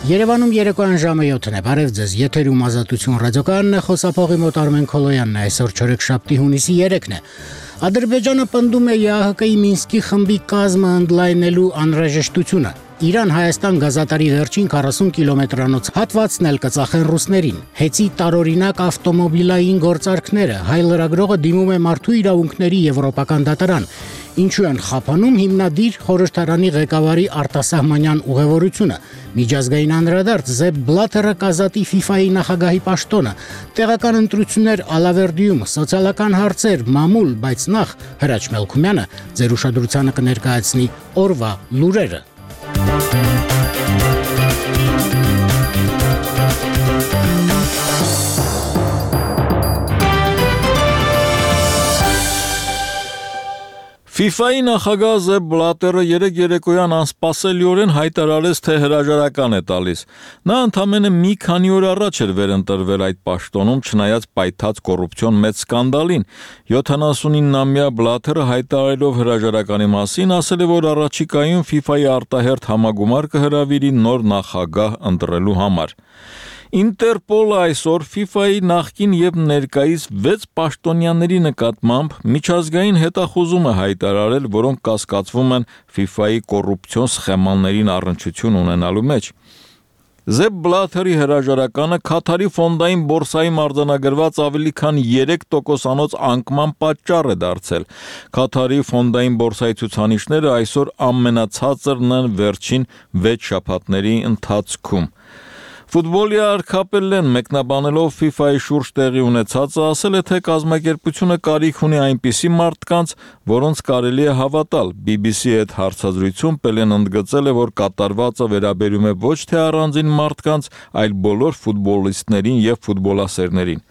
Երևանում երեկոյան ժամը 7-ն է, բարև ձեզ, եթերում Ազատություն ռադիոկայանն է, խոսափողի մոտ Արմեն Քոլոյանն է, այսօր չորեքշաբթի հունիսի 3-ն է։ Ադրբեջանը պնդում է ԵԱՀԿ-ի Մինսկի խմբի կազմը ընդլայնելու անհրաժեշտությունը։ Իրան-Հայաստան գազատարի վերջին 40 կիլոմետրանոց հատվածն էլ կծախեն ռուսներին։ Հեցի տարօրինակ ավտոմոբիլային գործարքները, հայ լրագրողը դիմում է մարդու իրավունքների եվրոպական դատարան։ Ինչու են խափանում հիմնադիր խորհրդարանի ղեկավարի արտասահմանյան ուղևորությունը։ Միջազգային անդրադարձ Զեփ Բլաթերը կազատի FIFA-ի նախագահի պաշտոնը, տեղական ընտրություններ Ալավերդիում, սոցիալական հարցեր, մամուլ, բայց նախ Հրաչ Մելքումյանը ձեր ուշադրությանը կներկայացնի օրվա լուրերը։ FIFA-ի նախագահ Զեփ Բլատերը երեկ երեկոյան անսպասելիորեն հայտարարեց, թե հրաժարական է տալիս։ Նա ընդամենը մի քանի օր առաջ էր վերընտրվել այդ պաշտոնում, չնայած պայթած կոռուպցիոն մեծ սկանդալին։ 79-ամյա Բլատերը հայտարարելով հրաժարականի մասին ասել է, որ առաջիկայում FIFA-ի արտահերթ համագումար կհրավիրի նոր նախագահ ընտրելու համար։ Ինտերպոլը այսօր FIFA-ի նախկին եւ ներկայիս 6 պաշտոնյաների նկատմամբ միջազգային հետախուզում է հայտարարել, որոնք կասկածվում են FIFA-ի կոռուպցիոն սխեմաններին առնչություն ունենալու մեջ։ Զեփ Բլաթերի հրաժարականը Քաթարի ֆոնդային բորսայում արձանագրված ավելի քան 3%-անոց անկման պատճառ է դարձել։ Քաթարի ֆոնդային բորսայի ցուցանիշները այսօր ամենացածրն են վերջին 6 շաբաթների ընթացքում։ Ֆուտբոլի արքապելլեն մեկնաբանելով FIFA-ի շուրջ տեղի ունեցածը ասել է, թե կազմակերպությունը կարիք ունի այնպիսի մարդկանց, որոնց կարելի է հավատալ։ BBC-ի հետ հարցազրույցում Պելեն ընդգծել է, որ կատարվածը վերաբերում է ոչ թե առանձին մարդկանց, այլ բոլոր ֆուտբոլիստներին եւ ֆուտբոլասերներին։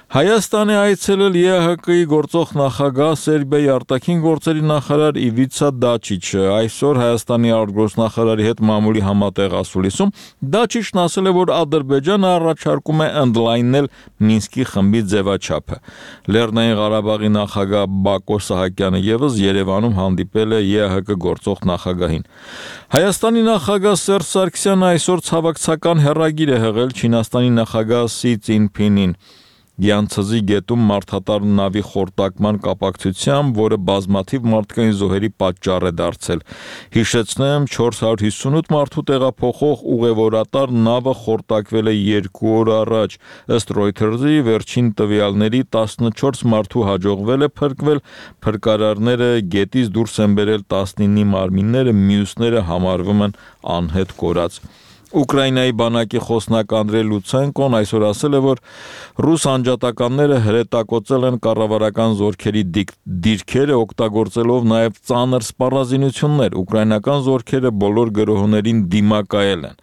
Հայաստանի այցելել ԵԱՀԿ-ի գործող նախագահ Սերբիայի արտաքին գործերի նախարար Իվիցա Դաչիչը այսօր Հայաստանի արտգործնախարարի հետ մամուլի համատեղ ասուլիսում Դաչիչն ասել է, որ Ադրբեջանը առաջարկում է ընդլայնել Մինսկի խմբի ձևաչափը։ Լեռնային Ղարաբաղի նախագահ Բակո Սահակյանը եւս Երևանում հանդիպել է ԵԱՀԿ գործող նախագահին։ Հայաստանի նախագահ Սերժ Սարգսյանը այսօր ցավակցական հեռագիր է հղել Չինաստանի նախագահ Սի Ցինփինին։ Գյանցզի գետում մարդատար նավի խորտակման կապակցությամբ, որը բազմաթիվ մարդկային զոհերի պատճառ է դարձել։ Հիշեցնեմ, 458 մարդու տեղափոխող ուղևորատար նավը խորտակվել է 2 օր առաջ։ Ըստ Reuters-ի վերջին տվյալների 14 մարդու հաջողվել է փրկվել, փրկարարները գետից դուրս են բերել 19-ի մարմինները, մյուսները համարվում են անհետ կորած։ Ուկրաինայի բանակի խոսնակ Անդրեյ Լուցենկոն այսօր ասել է, որ ռուս անջատականները հրետակոծել են կառավարական զորքերի դիրքերը, օգտագործելով նաև ծանր սպառազինություններ։ Ուկրաինական զորքերը բոլոր գրոհներին դիմակայել են։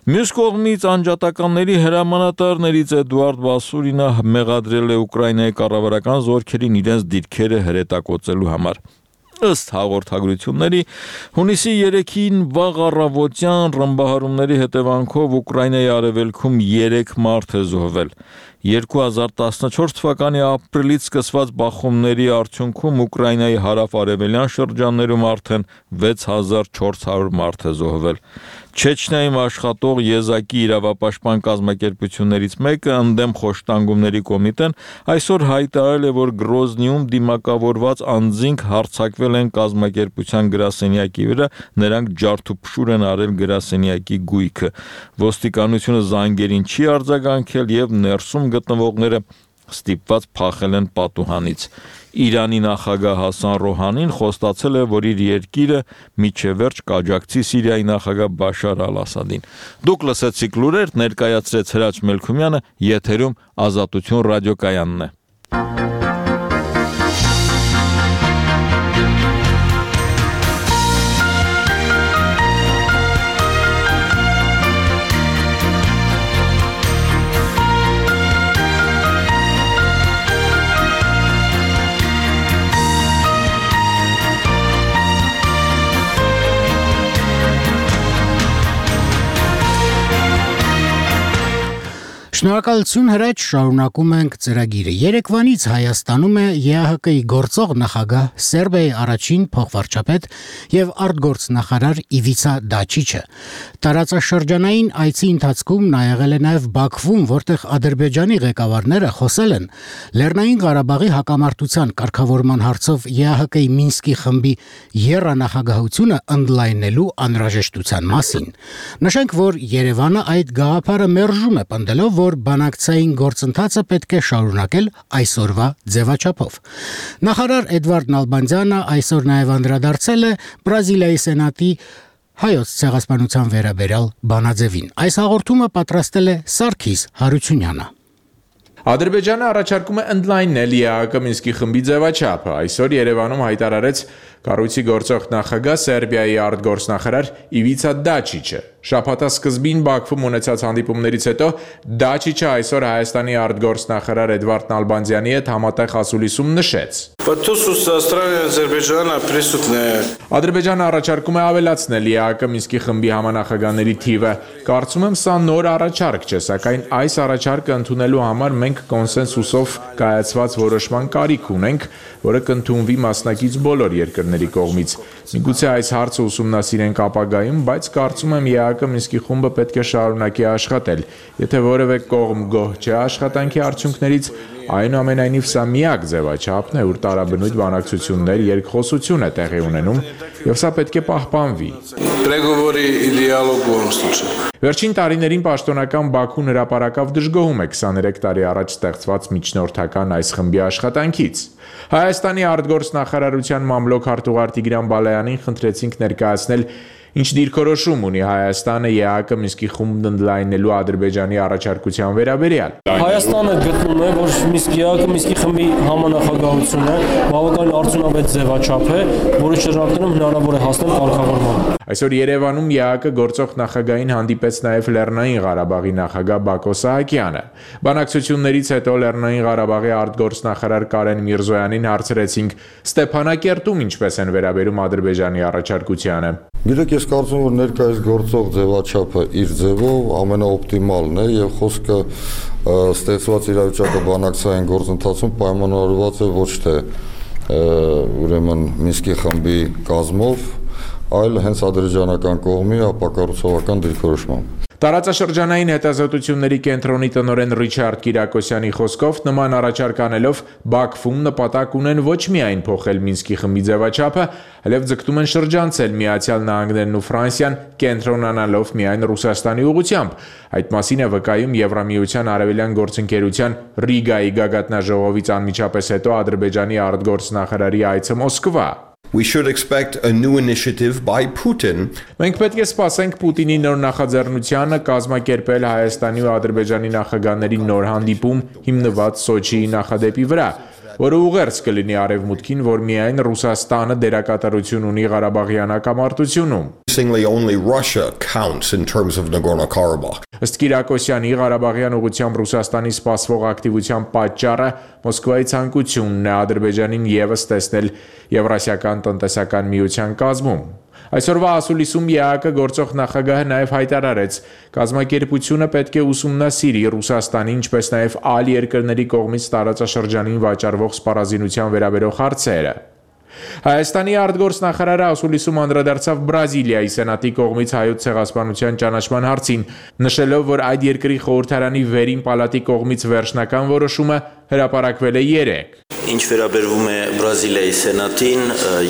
Մյուս կողմից անջատականների հրամանատարներից Էդուարդ Բասուրինը մեղադրել է Ուկրաինայի կառավարական զորքերին իրենց դիրքերը հրետակոծելու համար։ Ըստ հաղորդագրությունների, հունիսի 3-ին վաղ առավոտյան ռմբահարումների հետևանքով Ուկրաինայի արևելքում 3 մարդ է զոհվել։ 2014 թվականի ապրիլից սկսված բախումների արդյունքում Ուկրաինայի հարավ-արևելյան շրջաններում արդեն 6400 մարդ է զոհվել։ Չեչնիայում աշխատող եզակի իրավապաշտպան կազմակերպություններից մեկը ընդդեմ խոշտանգումների կոմիտեն այսօր հայտարարել է, որ Գրոզնիում դիմակավորված անձինք հարձակվել են կազմակերպության գրասենյակի վրա, նրանք ջարդուփշուր են արել գրասենյակի գույքը։ Ոստիկանությունը զանգերին չի արձագանքել եւ ներսում գտնվողները ստիպված փախել են պատուհանից։ Իրանի նախագահ Հասան Ռոհանին խոստացել է, որ իր երկիրը մինչև վերջ կաջակցի Սիրիայի նախագահ Բաշար Ալ-Ասադին։ Դուք լսեցիք լուրեր, ներկայացրեց Հրաչ Մելքումյանը, եթերում Ազատություն ռադիոկայանն է։ Շնորհակալություն հրաչ, շարունակում ենք ծրագիրը։ Երեկվանից Հայաստանում է ԵԱՀԿ-ի գործող նախագահ Սերբիայի առաջին փոխվարչապետ եւ արտգործնախարար Իվիցա Դաչիչը։ Տարածաշրջանային այցի ընթացքում նա եղել է նաեւ Բաքվում, որտեղ Ադրբեջանի ղեկավարները խոսել են Լեռնային Ղարաբաղի հակամարտության կարգավորման հարցով ԵԱՀԿ-ի Մինսկի խմբի եռանախագահությունը ընդլայնելու անհրաժեշտության մասին։ Նշենք, որ Երևանը այդ գաղափարը մերժում է, պնդելով, որ բանակցային գործընթացը պետք է շարունակել այսօրվա ձևաչափով։ Նախարար Էդվարդ Նալբանդյանը այսօր նաև անդրադարձել է Բրազիլիայի սենատի հայոց ցեղասպանության վերաբերյալ բանաձևին։ Այս հաղորդումը պատրաստել է Սարգիս Հարությունյանը։ Ադրբեջանը առաջարկում է ընդլայնել ԵԱՀԿ Մինսկի խմբի ձևաչափը։ Այսօր Երևանում հայտարարեց կառույցի գործող նախագահ Սերբիայի արտգործնախարար Իվիցա Դաչիչը։ Շաբաթասկզբին Բաքվում ունեցած հանդիպումներից հետո Դաչիչը այսօր Հայաստանի արտգործնախարար Էդվարդ Նալբանդյանի հետ համատեղ ասուլիսում նշեց. Ադրբեջանը առաջարկում է ավելացնել ԵԱՀԿ Մինսկի խմբի համանախագահների թիվը։ Կարծում եմ, սա նոր առաջարկ չէ, սակայն այս առաջարկը ընդունելու համար մենք կոնսենսուսով կայացված որոշման կարիք ունենք, որը կընդունվի մասնակից բոլոր երկրների կողմից։ Միգուցե այս հարցը ուսումնասիրենք ապագայում, բայց կարծում եմ ԵԱՀԿ Մինսկի խումբը պետք է շարունակի աշխատել։ Եթե որևէ կողմ գոհ չէ աշխատանքի արդյունքներից, այնուամենայնիվ սա միակ ձևաչափն է, ուր տարաբնույթ բանակցություններ, երկխոսություն է տեղի ունենում, եւ սա պետք է պահպանվի։ Վերջին տարիներին պաշտոնական Բաքուն հրապարակավ դժգոհում է 23 տարի առաջ ստեղծված միջնորդական այս խմբի աշխատանքից։ Հայաստանի արտգործնախարարության մամլոք հարտուղար Տիգրան Բալայանին խնդրեցինք ներկայացնել ինչ դիրքորոշում ունի Հայաստանը ԵԱՀԿ Մինսկի խումբն ընդլայնելու Ադրբեջանի առաջարկության վերաբերյալ։ Հայաստանը գտնում է, որ ԵԱՀԿ Մինսկի խմբի համանախագահությունը բավականին արդյունավետ ձևաչափ է, որի շրջանակում հնարավոր է հասնել կարգավորման։ Այսօր Երևանում ԵԱՀԿ գործող նախագահին հանդիպեց նաև Լեռնային Ղարաբաղի նախագահ Բակո Սահակյանը։ Բանակցություններից հետո Լեռնային Ղարաբաղի արտգործնախարար Կարեն Միրզոյանին հարցրեցինք Ստեփանակերտում ինչպես են վերաբերում Ադրբեջանի առաջարկությանը։ Գիտեք, ես կարծում եմ, որ ներկայիս գործող ձևաչափը իր ձևով ամենաօպտիմալն է եւ խոսքը ստեղծված իրավիճակը բանակցային գործընթացում պայմանավորված է ոչ թե ուրեմն Մինսկի խմբի կազմով, այլ հենց ադրբեջանական կողմի ապակառուցողական դիրքորոշմամբ։ Տարածաշրջանային հետազոտությունների կենտրոնի տնօրեն Ռիչարդ Կիրակոսյանի խոսքով նման առաջարկ անելով Բաքվում նպատակ ունեն ոչ միայն փոխել Մինսկի խմբի ձևաչափը, այլև ձգտում են շրջանցել Միացյալ Նահանգներն ու Ֆրանսիան, կենտրոնանալով միայն Ռուսաստանի ուղղությամբ։ Այդ մասին է վկայում Եվրամիության արևելյան գործընկերության Ռիգայի գագաթնաժողովից անմիջապես հետո Ադրբեջանի արտգործնախարարի այցը Մոսկվա։ We should expect a new initiative by Putin. Մենք պետք է սպասենք Պուտինի նոր նախաձեռնությանը կազմակերպել Հայաստանի ու Ադրբեջանի նախագահների նոր հանդիպում հիմնված Սոչիի նախադեպի վրա, որը ուղերձ կլինի արևմուտքին, որ միայն Ռուսաստանը դերակատարություն ունի Ղարաբաղյան հակամարտությունում։ Only Russia counts in terms of Nagorno-Karabakh. Ըստ Կիրակոսյանի Ղարաբաղյան ուղղությամբ Ռուսաստանի սպասվող ակտիվության պատճառը Մոսկվայի ցանկությունն է Ադրբեջանին եւս տեսնել Եվրասիական տնտեսական միության կազմում։ Այսօրվա ասուլիսում ԵԱՀԿ գործող նախագահը նաև հայտարարեց, կազմակերպությունը պետք է ուսումնասիրի Ռուսաստանի, ինչպես նաև այլ երկրների կողմից տարածաշրջանին վաճառվող սպառազինության վերաբերող հարցերը։ Հայաստանի արտգործնախարարը ասուլիսում անդրադարձավ Բրազիլիայի սենատի կողմից հայոց ցեղասպանության ճանաչման հարցին, նշելով, որ այդ երկրի խորհրդարանի վերին պալատի կողմից վերջնական որոշումը հրապարակվել է 3։ Ինչ վերաբերվում է Բրազիլիայի սենատին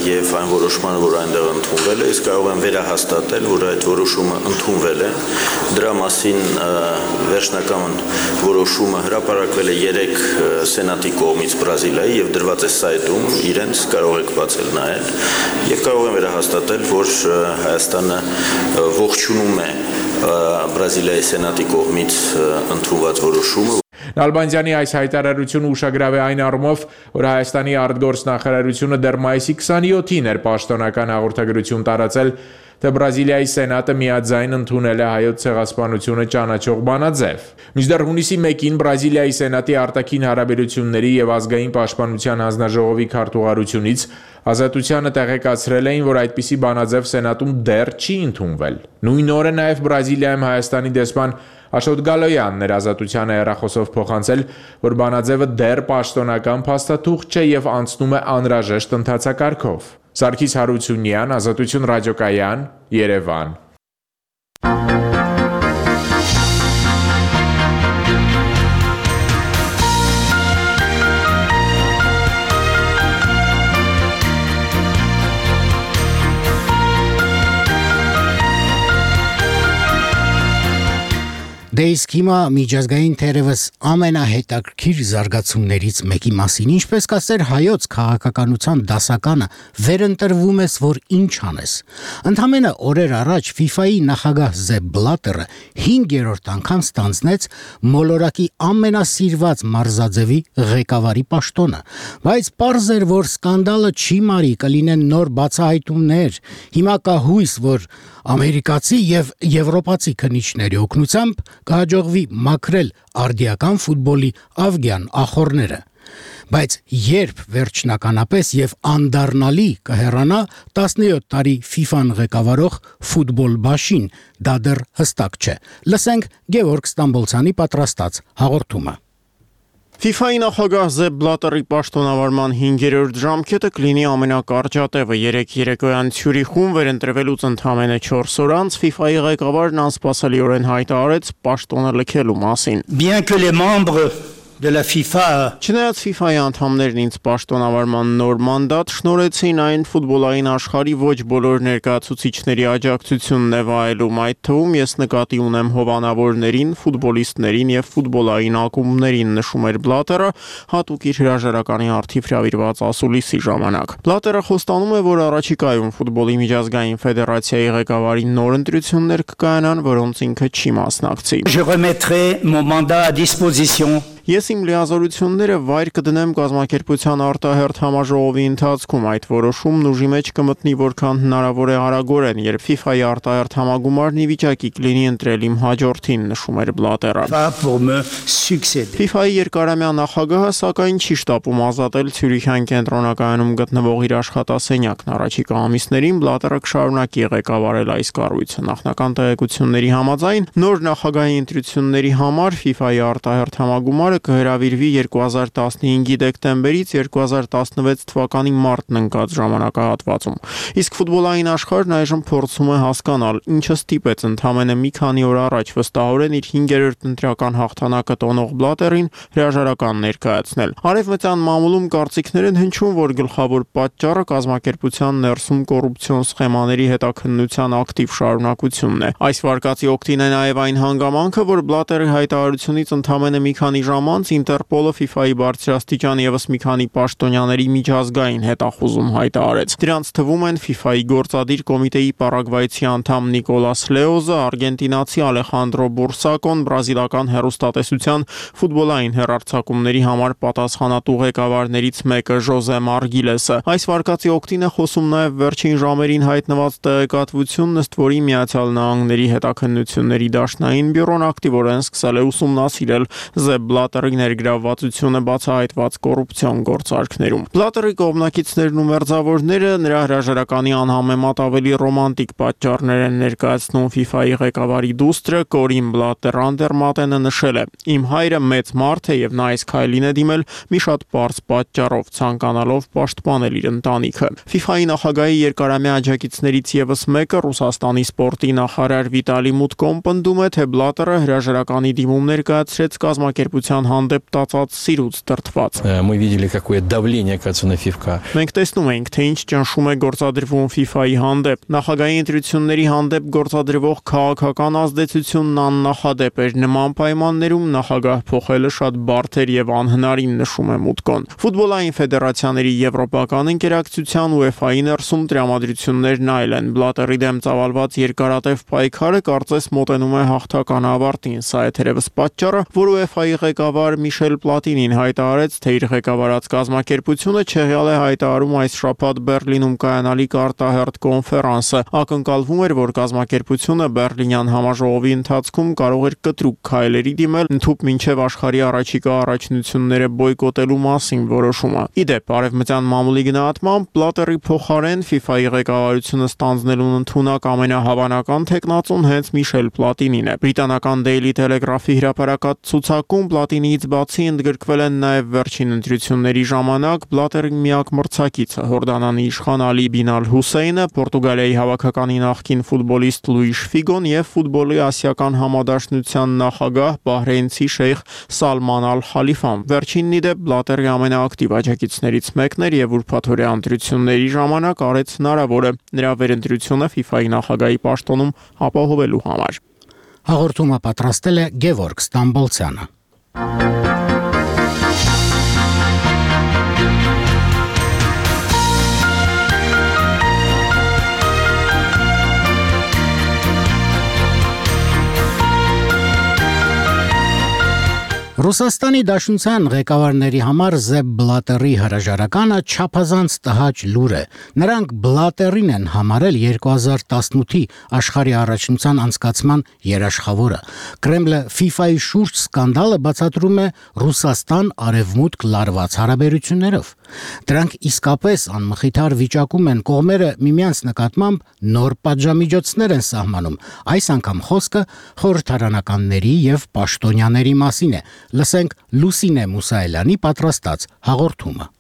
եւ այն որոշմանը, որ այնտեղ ընդունվել է, իսկ կարող եմ վերահաստատել, որ այդ որոշումը ընդունվել է։ Դրա մասին վերջնական որոշումը հրապարակվել է 3 սենատի կողմից Բրազիլիայի եւ դրված է սայթում, իրենց կարող եք բացել նայել եւ կարող եմ վերահաստատել, որ Հայաստանը ողջունում է Բրազիլիայի սենատի կողմից ընդունված որոշումը։ Նալբանդյանի այս հայտարարությունը ուշագրավ է այն առումով, որ Հայաստանի արտգործնախարարությունը դեռ մայիսի 27-ին էր պաշտոնական հաղորդագրություն տարածել, թե Բրազիլիայի սենատը միաձայն ընդունել է հայոց ցեղասպանությունը ճանաչող բանաձև։ Մինչդեռ հունիսի 1-ին Բրազիլիայի սենատի արտաքին հարաբերությունների եւ ազգային պաշտպանության հանձնաժողովի քարտուղարությունից Ազատությանը տեղեկացրել էին, որ այդպիսի բանաձև սենատում դեռ չի ընդունվել։ Նույն օրը նաեւ Բրազիլիայում Հայաստանի դեսպան Աշոտ Գալոյանն էր Ազատությանը հեռախոսով փոխանցել, որ բանաձևը դեռ պաշտոնական փաստաթուղթ չէ եւ անցնում է անհրաժեշտ ընթացակարգով։ Սարգիս Հարությունյան, Ազատություն ռադիոկայան, Երևան։ Դե իսկ հիմա միջազգային թերևս ամենահետաքրքիր զարգացումներից մեկի մասին, ինչպես կասեր հայոց քաղաքականության դասականը, վերընտրվում ես, որ ինչ անես։ Ընդամենը օրեր առաջ FIFA-ի նախագահ Զեփ Բլատերը 5-րդ անգամ ստանձնեց մոլորակի ամենասիրված մարզաձևի ղեկավարի պաշտոնը, բայց պարզ էր, որ սկանդալը չի մարի, կլինեն նոր բացահայտումներ։ Հիմա կա հույս, որ ամերիկացի եւ եվրոպացի քննիչների օգնությամբ կհաջողվի մաքրել արդիական ֆուտբոլի ավգյան ախորները։ Բայց երբ վերջնականապես եւ անդառնալի կհեռանա 17 տարի FIFA-ն ղեկավարող ֆուտբոլ բաշին, դա դեռ հստակ չէ։ Լսենք Գևորգ Ստամբոլցյանի պատրաստած հաղորդումը։ FIFA-ի նախագահ Զեփ Բլատերի պաշտոնավարման 5-րդ ժամկետը կլինի ամենակարճատևը։ Երեկ երեկոյան Ցյուրիխում վերընտրվելուց ընդամենը 4 օր անց FIFA-ի ղեկավարն անսպասելիորեն հայտարարեց պաշտոնը լքելու մասին։ Bien que les membres de la FIFA Չնայած FIFA-ի անդամներն ինձ պաշտոնավարման նոր մանդատ շնորհեցին, այն ֆուտբոլային աշխարհի ոչ բոլոր ներկայացուցիչների աջակցությունն է վայելում, այդ թվում ես նկատի ունեմ հովանավորներին, ֆուտբոլիստներին եւ ֆուտբոլային ակումբներին, նշում էր Բլատերը, հատուկ իր հրաժարականի առթիվ հրավիրված ասուլիսի ժամանակ։ Բլատերը խոստանում է, որ առաջիկայում ֆուտբոլի միջազգային ֆեդերացիայի ղեկավարի նոր ընտրություններ կկայանան, որոնց ինքը չի մասնակցի։ Je remettrai mon mandat à disposition. Ես իմ լիազորությունները վայր կդնեմ կազմակերպության արտահերթ համաժողովի ընթացքում, այդ որոշումն ուժի մեջ կմտնի որքան հնարավոր է արագորեն, երբ FIFA-ի արտահերթ համագումարն ի վիճակի կլինի ընտրել իմ հաջորդին, նշում էր Բլատերը։ FIFA-ի երկարամյա նախագահը սակայն չի շտապում ազատել Ցյուրիխյան կենտրոնակայանում գտնվող իր աշխատասենյակն։ Առաջիկա ամիսներին Բլատերը կշարունակի ղեկավարել այս կառույցը։ Նախնական տեղեկությունների համաձայն նոր նախագահի ընտրությունների համար FIFA-ի արտահերթ համագումարը կհրավիրվի 2015-ի դեկտեմբերից 2016 թվականի մարտն ընկած ժամանակահատվածում։ Իսկ ֆուտբոլային աշխարհն այժմ փորձում է հասկանալ, ինչը ստիպեց ընդամենը մի քանի օր առաջ վստահորեն իր 5-րդ ընտրական հաղթանակը տոնող Բլատերին հրաժարական ներկայացնել։ Արևմտյան մամուլում կարծիքներ են հնչում, որ գլխավոր պատճառը կազմակերպության ներսում կոռուպցիոն սխեմաների հետաքննության ակտիվ շարունակությունն է։ Այս վարկածի օգտին է նաև այն հանգամանքը, որ Բլատերի հայտարարությունից ընդամենը մի քանի ժամ անց Ինտերպոլը FIFA-ի բարձրաստիճան եւս մի քանի պաշտոնյաների միջազգային հետախուզում հայտարարեց։ Դրանց թվում են FIFA-ի գործադիր կոմիտեի պարագվայցի անդամ Նիկոլաս Լեոզը, արգենտինացի Ալեխանդրո Բուրսակոն, բրազիլական հեռուստատեսության ֆուտբոլային հեռարձակումների համար պատասխանատու ղեկավարներից մեկը Ժոզե Մարգիլեսը։ Այս վարկածի օգտին է խոսում նաև վերջին ժամերին հայտնված տեղեկատվությունն, ըստ որի Միացյալ Նահանգների հետաքննությունների դաշնային բյուրոն ակտիվորեն սկսել է ուսումնասիրել Զեփ Բլատերի ներգրավվածությունը բացահայտված կոռուպցիոն գործարքներում։ Բլատերի կողմնակիցներն ու մերձավորները նրա հրաժարականի անհամեմատ ավելի ռոմանտիկ պատճառներ են ներկայացնում։ FIFA-ի ղեկավարի դուստրը Կորին Բլատեր Անդերմատենը նշել է. «Իմ հայրը մեծ մարդ է եւ նա այս քայլին է դիմել մի շատ պարզ պատճառով, ցանկանալով պաշտպանել իր ընտանիքը»։ FIFA-ի նախագահի երկարամյա աջակիցներից եւս մեկը Ռուսաստանի սպորտի նախարար Վիտալի Մուտկոն պնդում է, թե Բլատերը հրաժարականի դիմում ներկայացրեց կազմակերպության հանդեպ տածած սիրուց դրդված։ Мы видели, какое давление оказывается на FIFA. Մենք տեսնում ենք, թե ինչ ճնշում է գործադրվում FIFA-ի հանդեպ։ Նախագահի ընտրությունների հանդեպ գործադրվող քաղաքական ազդեցությունն աննախադեպ էր։ Նման պայմաններում նախագահ փոխելը շատ բարդ էր եւ անհնարին, նշում է Մուտկոն։ Ֆուտբոլային ֆեդերացիաների եվրոպական ընկերակցության UEFA-ի ներսում տրամադրություններն այլ են։ Բլատերի դեմ ծավալված երկարատև պայքարը կարծես մոտենում է հաղթական ավարտին։ Սա է թերևս պատճառը, որ UEFA-ի ղեկավարը ղեկավար Միշել Պլատինին հայտարարեց, թե իր ղեկավարած կազմակերպությունը չեղյալ է հայտարարում այս շաբաթ Բեռլինում կայանալիք արտահերթ կոնֆերանսը։ Ակնկալվում էր, որ կազմակերպությունը Բեռլինյան համաժողովի ընթացքում կարող էր կտրուկ քայլերի դիմել ընդհուպ մինչև աշխարհի առաջիկա առաջնությունները բոյկոտելու մասին որոշումը։ Իդեպ, արևմտյան մամուլի գնահատմամբ Պլատերի փոխարեն FIFA-ի ղեկավարությունը ստանձնելուն ընդունակ ամենահավանական թեկնածուն հենց Միշել Պլատինին է։ Բրիտանական Daily Telegraph-ի հրապարակած ցուցակում Պլատինիից բացի ընդգրկվել են նաև վերջին ընտրությունների ժամանակ Պլատերի միակ մրցակիցը Հորդանանի իշխան Ալի Բին Ալ-Հուսեյնը, Պորտուգալիայի հավաքականի նախկին ֆուտբոլիստ Լուիշ Ֆիգոն եւ ֆուտբոլի ասիական համադաշնության նախագահ Բահրեյնցի շեյխ Սալման Ալ-Խալիֆան։ Վերջինն իդեպ Պլատերի ամենաակտիվ աջակիցներից մեկն էր եւ ուրբաթօրյա ընտրությունների ժամանակ արեց հնարավորը նրա վերընտրությունը FIFA-ի նախագահի պաշտոնում ապահովելու համար։ Հաղորդումը պատրաստել է Գևորգ Ստամբոլցյանը։ Ռուսաստանի Դաշնության ղեկավարների համար Զեփ Բլատերի հրաժարականը չափազանց տհաճ լուր է։ Նրանք Բլատերին են համարել 2018-ի աշխարհի առաջնության անցկացման երաշխավորը։ Կրեմլը FIFA-ի շուրջ սկանդալը բացատրում է Ռուսաստան-Արևմուտք լարված հարաբերություններով։ Դրանք իսկապես անմխիթար վիճակում են կողմերը միմյանց նկատմամբ նոր պատժամիջոցներ են սահմանում։ Այս անգամ խոսքը խորհրդարանականների եւ պաշտոնյաների մասին է։ Լսենք Լուսինե Մուսայելյանի պատրաստած հաղորդումը։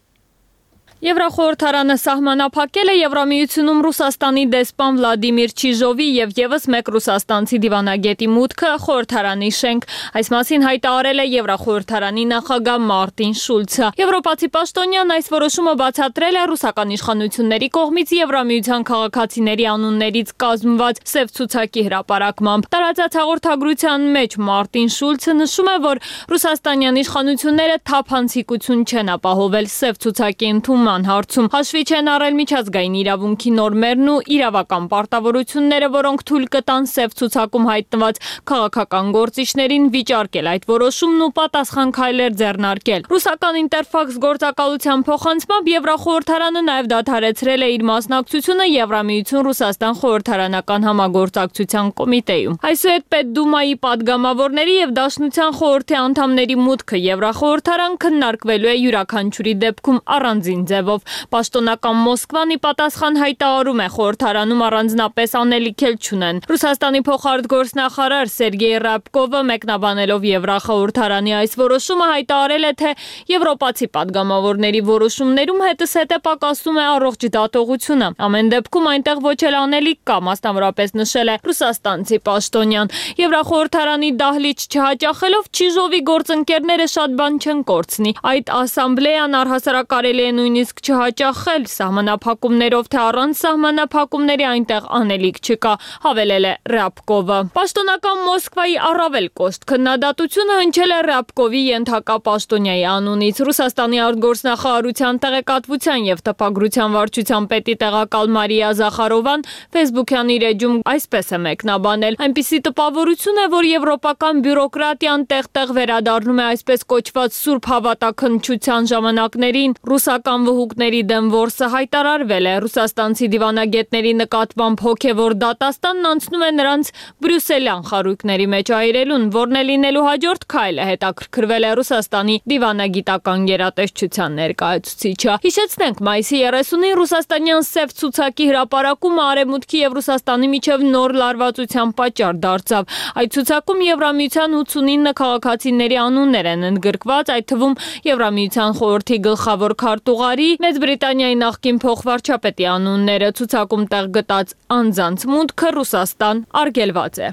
Եվրախորհրդարանը սահմանափակել է Եվրամիությունում Ռուսաստանի դեսպան Վլադիմիր Չիժովի եւ եւս մեկ ռուսաստանցի դիվանագետի մուտքը խորհրդարանի շենք։ Այս մասին հայտարարել է Եվրախորհրդարանի նախագահ Մարտին Շուլցը։ Եվրոպացի պաշտոնյան այս որոշումը բացատրել է ռուսական իշխանությունների կողմից Եվրամիության քաղաքացիների անուններից կազմված սև ցուցակի հրապարակմամբ։ Տարածած հաղորդագրության մեջ Մարտին Շուլցը նշում է, որ ռուսաստանյան իշխանությունները թափանցիկություն չեն ապահովել սև ցուցակի ընդունման հարցում, հաշվի չեն առել միջազգային իրավունքի նորմերն ու իրավական պարտավորությունները, որոնք թույլ կտան սև ցուցակում հայտնված քաղաքական գործիչներին վիճարկել այդ որոշումն ու պատասխան քայլեր ձեռնարկել։ Ռուսական Ինտերֆաքս գործակալության փոխանցմամբ Եվրախորհրդարանը նաև դադարեցրել է իր մասնակցությունը Եվրամիություն-Ռուսաստան խորհրդարանական համագործակցության կոմիտեում։ Այսուհետ Պետդումայի падգամավորների եւ Դաշնության խորհրդի անդամների մուտքը Եվրախորհրդարան քննարկվելու է յուրաքանչյուրի դեպքում առանձին ձևով։ Պաշտոնական Մոսկվան ի պատասխան հայտարարում է խորհրդարանում առանձնապես անելիք չունեն։ Ռուսաստանի փոխարտգործնախարար Սերգեյ Ռաբկովը մեկնաբանելով Եվրախորհրդարանի այս որոշումը հայտարարել է, թե եվրոպացի падգամավորների որոշումներում հետզհետե պակասում է առողջ դատողությունը։ Ամեն դեպքում այնտեղ ոչ էլ անելիք կա, մասնավորապես նշել է ռուսաստանցի պաշտոնյան։ Եվրախորհրդարանի դահլիճ չհաճախելով Չիժովի գործընկերները շատ բան չեն կորցնի։ Այդ ասամբլեան առհասարակ կարելի է նույնիսկ չհաճախել սահմանափակումներով, թե առանց սահմանափակումների այնտեղ անելիք չկա, հավելել է Ռաբկովը։ Պաշտոնական Մոսկվայի առավել կոշտ քննադատությունը հնչել է Ռաբկովի ենթակա պաշտոնյայի անունից։ Ռուսաստանի արտգործնախարարության տեղեկատվության եւ տպագրության վարչության պետի տեղակալ Մարիա Զախարովան Facebook-յան իր էջում այսպես է մեկնաբանել. այնպիսի տպավորություն է, որ եվրոպական բյուրոկրատիան տեղ-տեղ վերադառնում է այսպես կոչված սուրբ հավատաքննչության ժամանակներին։ Ռուսական վհուկների դեմ որսը հայտարարվել է։ Ռուսաստանցի դիվանագետների նկատմամբ հոգևոր դատաստանն անցնում է նրանց բրյուսելյան խարույկների մեջ այրելուն, որն է լինելու հաջորդ քայլը, հետաքրքրվել է Ռուսաստանի դիվանագիտական գերատեսչության ներկայացուցիչը։ Հիշեցնենք, մայիսի 30-ին ռուսաստանյան սև ցուցակի հրապարակումը Արևմուտքի եւ Ռուսաստանի միջև նոր լարվածության պատճառ դարձավ։ Այդ ցուցակում Եվրամիության 89 քաղաքացիների անուններ են ընդգրկված, այդ թվում Եվրամիության խորհրդի գլխավոր քարտուղարի, Մեծ Բրիտանիայի նախկին փոխվարչապետի անունները։ Ցուցակում տեղ գտած անձանց մուտքը Ռուսաստան արգելված է։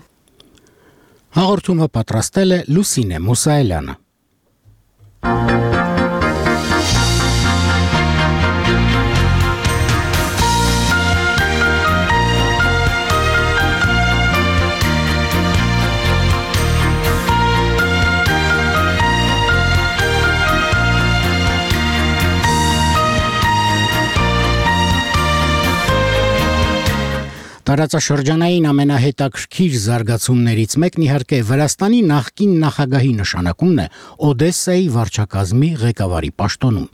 Հաղորդումը պատրաստել է Լուսինե Մուսայելյանը։ Տարածաշրջանային ամենահետաքրքիր զարգացումներից մեկն իհարկե Վրաստանի նախկին նախագահի նշանակումն է Օդեսայի վարչակազմի ղեկավարի պաշտոնում։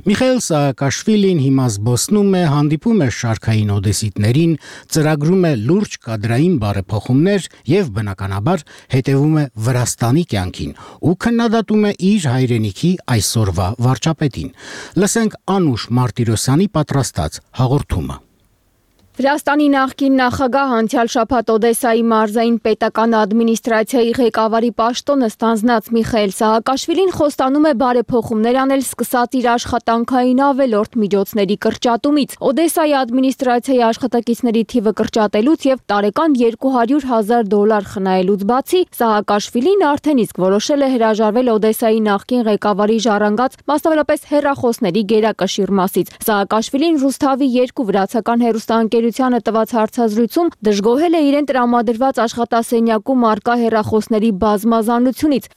Միխայել Սաակաշվիլին հիմա զբոսնում է, հանդիպում է շարքային օդեսիտներին, ծրագրում է լուրջ կադրային բարեփոխումներ եւ բնականաբար հետևում է Վրաստանի կյանքին ու քննադատում է իր հայրենիքի այսօրվա վարչապետին։ Լսենք Անուշ Մարտիրոսյանի պատրաստած հաղորդումը։ Վրաստանի նախկին նախագահ անցյալ շաբաթ Օդեսայի մարզային պետական ադմինիստրացիայի ղեկավարի պաշտոնը ստանձնած Միխայել Սահակաշվիլին խոստանում է բարեփոխումներ անել սկսած իր աշխատանքային ավելորդ միջոցների կրճատումից։ Օդեսայի ադմինիստրացիայի աշխատակիցների թիվը կրճատելուց եւ տարեկան $200,000 խնայելուց բացի Սահակաշվիլին արդեն իսկ որոշել է հրաժարվել Օդեսայի նախկին ղեկավարի ժառանգած մասնավորապես հեռախոսների գերակշիռ մասից։ Սահակաշվիլին Ռուսթավի 2 վրացական հեռուստաընկերությանը տված հարցազրույցում դժգոհել է իրեն տրամադրված աշխատասենյակում առկա հեռախոսների բազմազանությունից։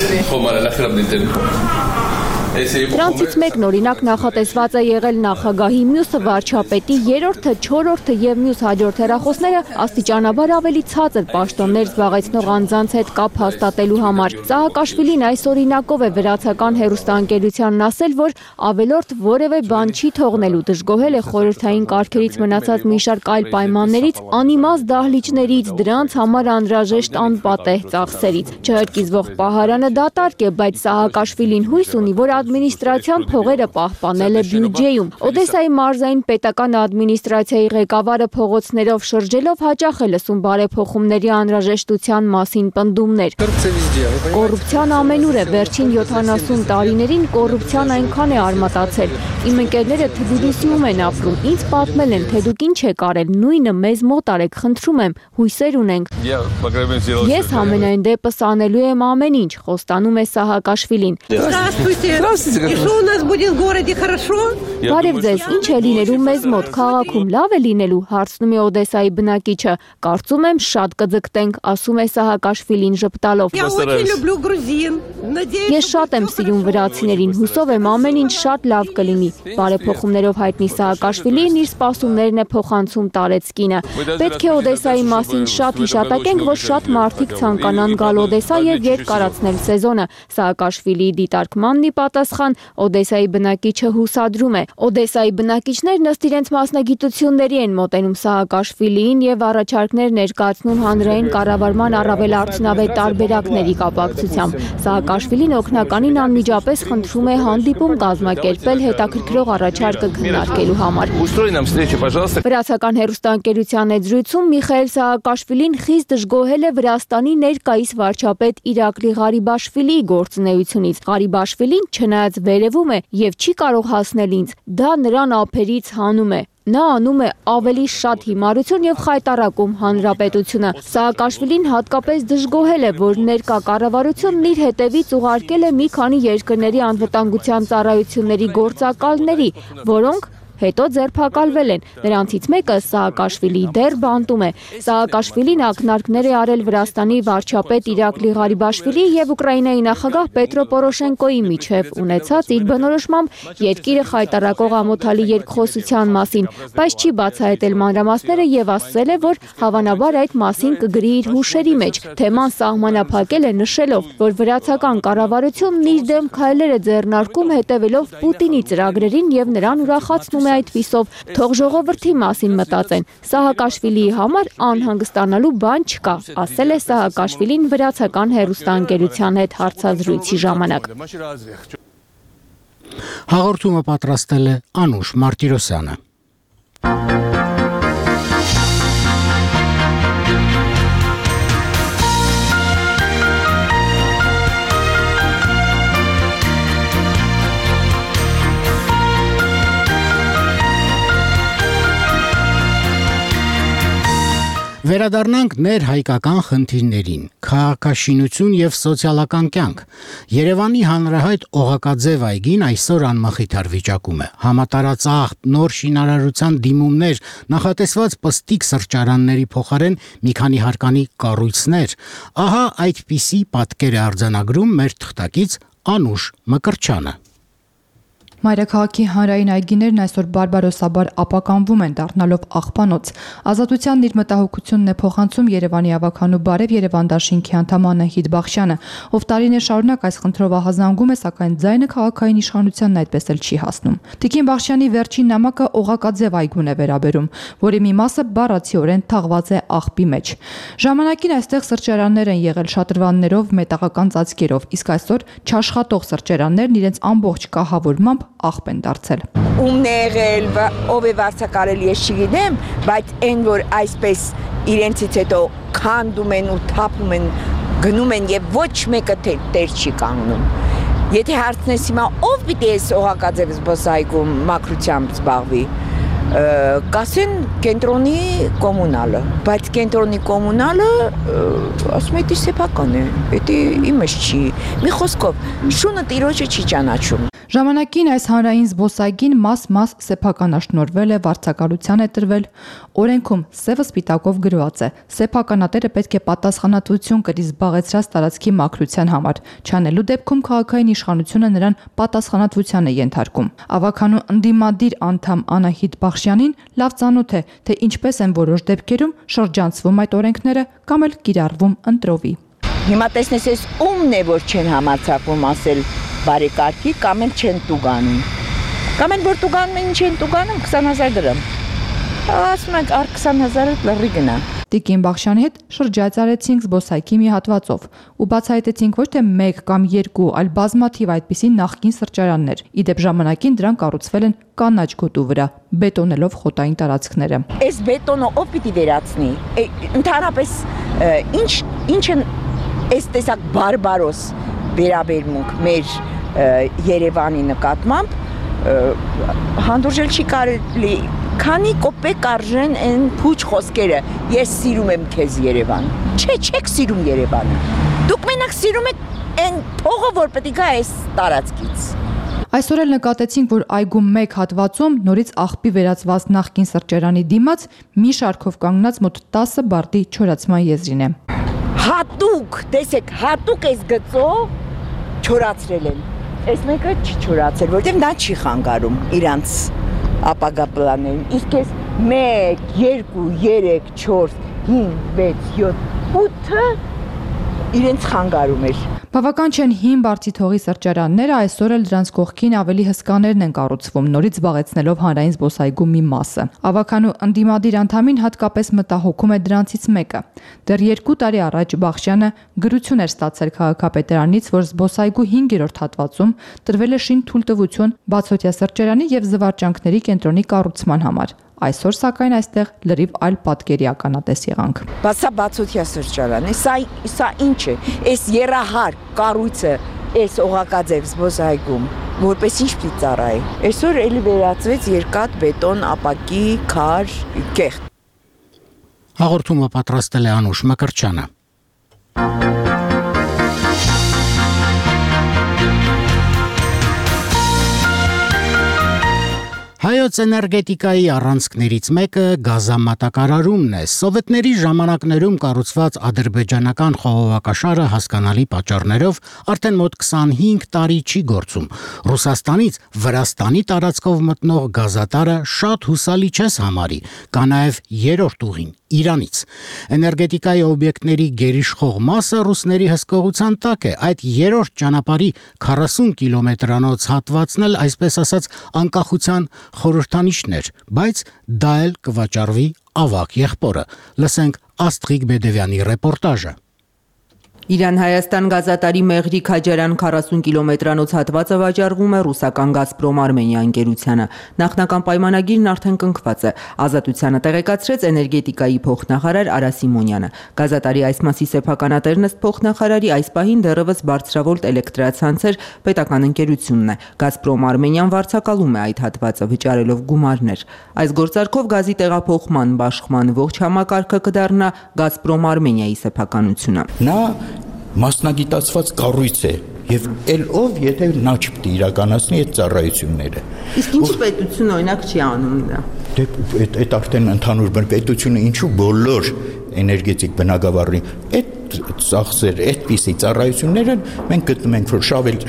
Դրանցից մեկն օրինակ նախատեսված է եղել նախագահի, մյուսը վարչապետի, երրորդը, չորրորդը եւ մյուս հաջորդ հեռախոսները աստիճանաբար ավելի ցածր պաշտոններ զբաղեցնող անձանց հետ կապ հաստատելու համար։ Սահակաշվիլին այս օրինակով է վրացական հեռուստաընկերությանն ասել, որ ավելորդ որևէ բան չի թողնելու, դժգոհել է խորհրդային կարգերից մնացած մի շարք այլ պայմաններից, անիմաստ դահլիճներից, դրանց համար անհրաժեշտ անպատեհ ծախսերից։ Չհրկիզվող պահարանը դատարկ է, բայց Սահակաշվիլին հույս ունի, որ ադմինիստրացիան փողերը պահպանել է բյուջեում։ Օդեսայի մարզային պետական ադմինիստրացիայի ղեկավարը փողոցներով շրջելով հաճախ է լսում բարեփոխումների անհրաժեշտության մասին պնդումներ։ Կոռուպցիան ամենուր է, վերջին 70 տարիներին կոռուպցիան այնքան է արմատացել։ Իմ ընկերները Թբիլիսիում են ապրում, ինձ պատմել են, թե դուք ինչ եք արել, նույնը մեզ մոտ արեք, խնդրում եմ, հույսեր ունենք։ Ես համենայն դեպս անելու եմ ամեն ինչ, խոստանում է Սահակաշվիլին։ Բարև ձեզ, ինչ է լինելու մեզ մոտ, քաղաքում լավ է լինելու, հարցնում է Օդեսայի բնակիչը։ Կարծում եմ շատ կձգտենք, ասում է Սահակաշվիլին ժպտալով։ Ես շատ եմ սիրում վրացիներին, հուսով եմ ամեն ինչ շատ լավ կլինի։ Բարեփոխումներով հայտնի Սահակաշվիլին իր սպասումներն է փոխանցում տարեցկինը։ Պետք է Օդեսայի մասին շատ հիշատակենք, որ շատ մարդիկ ցանկանան գալ Օդեսա եւ երկարացնել սեզոնը։ Սահակաշվիլիի դիտարկմանն ի պատասխան Օդեսայի բնակիչը հուսադրում է։ Օդեսայի բնակիչներն ըստ իրենց մասնագիտությունների են մոտենում Սահակաշվիլիին եւ առաջարկներ ներկայացնում հանրային կառավարման առավել արդյունավետ տարբերակների կապակցությամբ։ Սահակաշվիլին օգնականին անմիջապես խնդրում է հանդիպում կազմակերպել հետաքրքրող առաջարկը քննարկելու համար։ Վրացական հեռուստաընկերության հետ զրույցում Միխայել Սահակաշվիլին խիստ դժգոհել է Վրաստանի ներկայիս վարչապետ Իրակլի Ղարիբաշվիլիի գործունեությունից։ Ղարիբաշվիլին չնայած վերևում է եւ չի կարող հասնել ինձ, դա նրան ափերից հանում է։ Նա անում է ավելի շատ հիմարություն եւ խայտառակում հանրապետությունը։ Սահակաշվիլին հատկապես դժգոհել է, որ ներկա կառավարությունն իր հետևից ուղարկել է մի քանի երկրների անվտանգության ծառայությունների գործակալների, որոնք հետո ձերբակալվել են։ Նրանցից մեկը Սահակաշվիլի դեռ բանտում է։ Սահակաշվիլին ակնարկներ է արել Վրաստանի վարչապետ Իրակլի Ղարիբաշվիլիի եւ Ուկրաինայի նախագահ Պետրո Պորոշենկոյի միջև ունեցած իր բնորոշմամբ երկիրը խայտառակող ամոթալի երկխոսության մասին, բայց չի բացահայտել մանրամասները եւ ասել է, որ հավանաբար այդ մասին կգրի իր հուշերի մեջ։ Թեման սահմանափակել է նշելով, որ վրացական կառավարությունն իր դեմ քայլեր է ձեռնարկում հետևելով Պուտինի ծրագրերին եւ նրան ուրախացնում է այդպիսով, թող ժողովրդի մասին մտածեն։ Սահակաշվիլիի համար անհանգստանալու բան չկա, ասել է Սահակաշվիլին վրացական հեռուստաընկերության հետ հարցազրույցի ժամանակ։ Հաղորդումը պատրաստել է Անուշ Մարտիրոսյանը։ Վերադառնանք ներհայկական խնդիրներին՝ քաղաքաշինություն եւ սոցիալական կյանք։ Երևանի հանրահայտ Օղակաձև այգին այսօր անմխիթար վիճակում է։ Համատարածախտ նոր շինարարության դիմումներ, նախատեսված պստիկ սրճարանների փոխարեն մի քանի հարկանի կառույցներ։ Ահա այդպիսի պատկեր է արձանագրում մեր թղթակից Անուշ Մկրտչյանը։ Մայրաքաղաքի հանրային այգիներն այսօր բարբարոսաբար ապականվում են, դառնալով աղբանոց։ Ազատությանն իր մտահոգությունն է փոխանցում Երևանի ավագանու Բարև Երևան դաշինքի անդամ Անահիտ Բախշյանը, ով տարիներ շարունակ այս խնդրով ահազանգում է, սակայն ձայնը քաղաքային իշխանությանն այդպես էլ չի հասնում։ Տիկին Բախշյանի վերջին նամակը օղակաձև այգուն է վերաբերում, որի մի մասը բառացիորեն թաղված է աղբի մեջ։ Ժամանակին այստեղ սրճարաններ են եղել շատրվաններով, մետաղական ծածկերով, իսկ այսօր չաշխատող սրճարաններն իրենց ամբողջ կահավորմամբ աղբ են դարձել։ Ումն է եղել, ով է վարձակարել, ես չգիտեմ, բայց այն որ այսպես իրենցից հետո քանդում են ու թափում են, գնում են եւ ոչ մեկը տեր չի կանգնում։ Եթե հարցնես հիմա ով պիտի էս օղակաձև զբոսայգում մաքրությամբ զբաղվի, կասեն կենտրոնի կոմունալը, բայց կենտրոնի կոմունալը ասում է դի սեփական է, դա իմս չի, մի խոսքով շունը տիրոջը չի ճանաչում։ Ժամանակին այս հանրային զբոսայգին մաս-մաս սեփականաշնորհվել է, վարձակալության է տրվել, օրենքում սևը սպիտակով գրված է. սեփականատերը պետք է պատասխանատվություն կրի զբաղեցրած տարածքի մաքրության համար, չանելու դեպքում քաղաքային իշխանությունը նրան պատասխանատվության է ենթարկում։ Ավագանու ընդդիմադիր անդամ Անահիտ Բախշյանին լավ ծանոթ է, թե ինչպես են որոշ դեպքերում շրջանցվում այդ օրենքները կամ էլ կիրառվում ընտրովի։ Հիմա տեսնես էս ումն է որ չեն համարձակվում ասել բարեկարգի կամ էլ չեն տուգանում։ Կամ էլ որ տուգանում են, չեն տուգանում 20000 դրամ։ Ասում եք առ 20000-ը լրի գնա։ Տիկին Բախշյանի հետ շրջայցարեցինք զբոսայգի մի հատվածով ու բացահայտեցինք ոչ թե 1 կամ 2, այլ բազմաթիվ այդպիսի նախկին սրճարաններ։ Իդեպ ժամանակին դրանք կառուցվել են կանաչ գոտու վրա, բետոնելով խոտային տարածքները։ Այս բետոնը ով պիտի վերացնի։ Ընդհանրապես ինչ են այս տեսակ բարբարոս վերաբերմունք մեր Երևանի նկատմամբ հանդուրժել չի կարելի, քանի կոպեկ արժեն այն փուչ խոսքերը, ես սիրում եմ քեզ Երևան։ Չեք սիրում Երևանը։ Դուք մենակ սիրում եք այն փողը, որ պետք է գա այս տարածքից։ Այսօր էլ նկատեցինք, որ այգում 1 հատվածում նորից աղբի վերածված նախկին սրճարանի դիմաց մի շարքով կանգնած մոտ 10 բարտի չորացման եզրին է։ Հատուկ, տեսեք, հատուկ էս գծո չորացրել են։ Այս մեկը չի չորացել, որտեղ նա չի խանգարում իրանց ապագա պլաններին։ Իսկ էս 1, 2, 3, 4, 5, 6, 7, 8-ը իրենց խանգարում էր։ Բավական չեն հին բարձիթողի սրճարանները, այսօր էլ դրանց կողքին ավելի հսկաներն են կառուցվում, նորից զբաղեցնելով հանրային զբոսայգու մի մասը։ Ավագանու ընդդիմադիր անդամին հատկապես մտահոգում է դրանցից մեկը։ Դեռ 2 տարի առաջ Բախշյանը գրություն էր ստացել քաղաքապետարանից, որ զբոսայգու 5-րդ հատվածում տրվել է շինթույլտվություն բացօթյա սրճարանի եւ զվարճանքների կենտրոնի կառուցման համար։ Այսօր սակայն այստեղ լրիվ այլ պատկերի ականատես եղանք։ Սա բացօթյա սրճարան է, սա ինչ է, այս երահար կառույցը, այս օղակաձև զբոսայգում, որպես ինչ պիտի ծառայի։ Այսօր էլի վերածվեց երկաթ, բետոն, ապակի, քար, կեղտ։ Հաղորդումը պատրաստել է Անուշ Մկրտչյանը։ Հայոց էներգետիկայի առանցքներից մեկը գազամատակարարումն է։ Սովետների ժամանակներում կառուցված ադրբեջանական խողովակաշարը հասկանալի պատճառներով արդեն մոտ 25 տարի չի գործում։ Ռուսաստանից Վրաստանի տարածքով մտնող գազատարը շատ հուսալի չես համարի, կա նաև երրորդ ուղին Իրանից։ Էներգետիկայի օբյեկտների գերիշխող մասը ռուսների հսկողության տակ է։ Այդ երրորդ ճանապարհի 40 կիլոմետրանոց հատվածն էլ այսպես ասած անկախության խորհրդանիշներ, բայց դա էլ կվաճառվի ավակ եղբորը։ Լսենք Աստղիկ Բեդևյանի ռեպորտաժը։ Իրան-Հայաստան գազատարի Մեղրի-Քաջարյան 40 կիլոմետրանոց հատվածը վաճառվում է ռուսական Գազպրոմ Արմենիա ընկերությանը։ Նախնական պայմանագիրն արդեն կնքված է։ Ազատությանը տեղեկացրեց էներգետիկայի փոխնախարար Արա Սիմոնյանը։ Գազատարի այս մասի սեփականատերն ըստ փոխնախարարի այս պահին դեռևս բարձրավոլտ էլեկտրացանցեր պետական ընկերությունն է։ Գազպրոմ Արմենիան վարձակալում է այդ հատվածը վճարելով գումարներ։ Այս գործարքով գազի տեղափոխման, բաշխման ողջ համակարգը կդառնա Գազպրոմ Արմենիայի սեփականությունը։ Նա մասնագիտացված կառույց է եւ ով եթե նա չպետք է իրականացնի այդ ծառայությունները։ Իսկ ինչի պետությունը օրինակ չի անում դա։ Դե այդ արդեն ընդհանուր պետությունը ինչու բոլոր էներգետիկ բնագավառի այդ ծախսեր, այդպիսի ծառայությունները մենք գտնում ենք, որ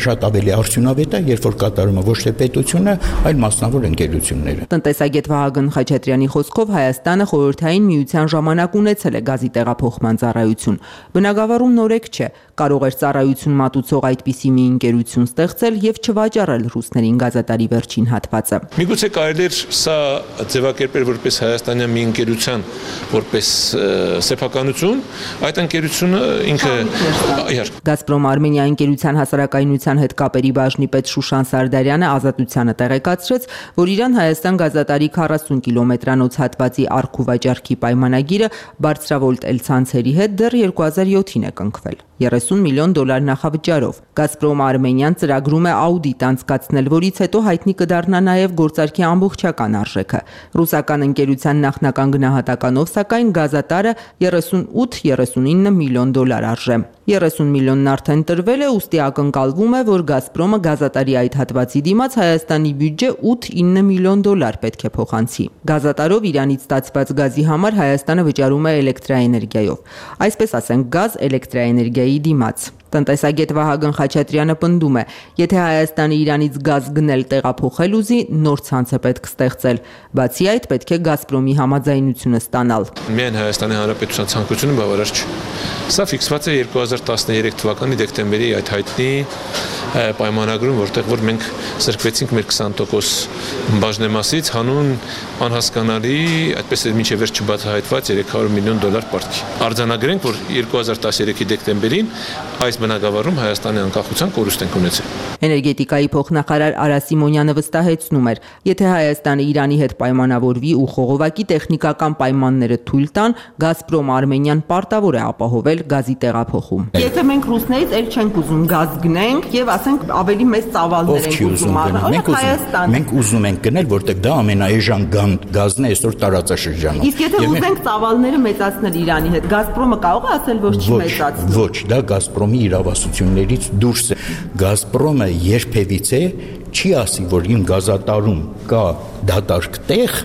շատ ավելի արդյունավետ է, երբ որ կատարում է ոչ թե պետությունը, այլ մասնավոր ընկերությունները։ Տնտեսագետ Վահագն Խաչատրյանի խոսքով Հայաստանը խորհրդային միության ժամանակ ունեցել է գազի տեղափոխման ծառայություն։ Բնագավառում նորեկ չէ, կարող էր ծառայություն մատուցող այդպիսի մի ընկերություն ստեղծել եւ չվաճառել ռուսներին գազատարի վերջին հատվածը։ Միգուցե կարելի էր սա ձևակերպել որպես հայաստանյան մի ընկերության, որպես սեփականություն, այդ ընկերությունը ինքը Գազպրոմ Արմենիա ընկերության հասարակայնության հետ կապերի բաժնի պետ Շուշան Սարդարյանը Ազատությանը տեղեկացրեց, որ Իրան-Հայաստան գազատարի 40 կիլոմետրանոց հատվածի առքուվաճառքի պայմանագիրը բարձրավոլտ էլցանցերի հետ դեռ 2007-ին է կնքվել $30 միլիոն նախավճարով։ Գազպրոմ Արմենիան ծրագրում է աուդիտ անցկացնել, որից հետո հայտնի կդառնա նաև գործարքի ամբողջական արժեքը։ Ռուսական ընկերության նախնական գնահատականով, սակայն գազատարը 38-39 միլիոն դոլար արժե։ 30 միլիոնն արդեն տրվել է, ուստի ակնկալվում է, որ Գազպրոմը գազատարի այդ հատվածի դիմաց Հայաստանի բյուջե 8-9 միլիոն դոլար պետք է փոխանցի։ Գազատարով Իրանից ստացված գազի համար Հայաստանը վճարում է էլեկտրաէներգիայով։ Այսպես ասենք, գազ էլեկտրաէներգիայի դիմաց։ Տնտեսագետ Վահագն Խաչատրյանը պնդում է, եթե Հայաստանը Իրանից գազ գնել տեղափոխել ուզի, նոր ցանց է պետք ստեղծել։ Բացի այդ, պետք է Գազպրոմի համաձայնությունը ստանալ։ Միայն Հայաստանի Հանրապետության ցանկությունը բավարար չէ։ Սա ֆիքսված է 2013 թվականի դեկտեմբերի այդ հայտնի պայմանագրում, որտեղ որ մենք սրկվեցինք մեր 20% բաժնեմասից հանուն անհասկանալի, այդպես է մինչև վերջ չբացահայտված $300 միլիոն պարտքի։ Արձանագրենք, որ 2013-ի դեկտեմբերին այս բնագավառում Հայաստանի անկախության կորուստ ենք ունեցել։ Էներգետիկայի փոխնախարար Արա Սիմոնյանը վստահեցնում էր, եթե Հայաստանը Իրանի հետ պայմանավորվի ու խողովակի տեխնիկական պայմանները թույլ տան, Գազպրոմ Արմենիան պարտավոր է ապահովել գազի տեղափոխում։ Եթե մենք ռուսներից էլ չենք ուզում գազ գնենք եւ ասենք ավելի մեծ ծավալներ ենք ուզում առնել, մենք ուզում ենք գնել, որտեղ դա ամենաէժան գազն է այսօր տարածաշրջանում։ Իսկ եթե ուզենք ծավալները մեծացնել Իրանի հետ, Գազպրոմը կարող է ասել, որ չի մեծացնում։ Ոչ, դա Գազպրոմի իրավասություններից դուրս է։ Գազպրոմը երբևիցե չի ասի, որ իմ գազատարում կա դատարկ տեղ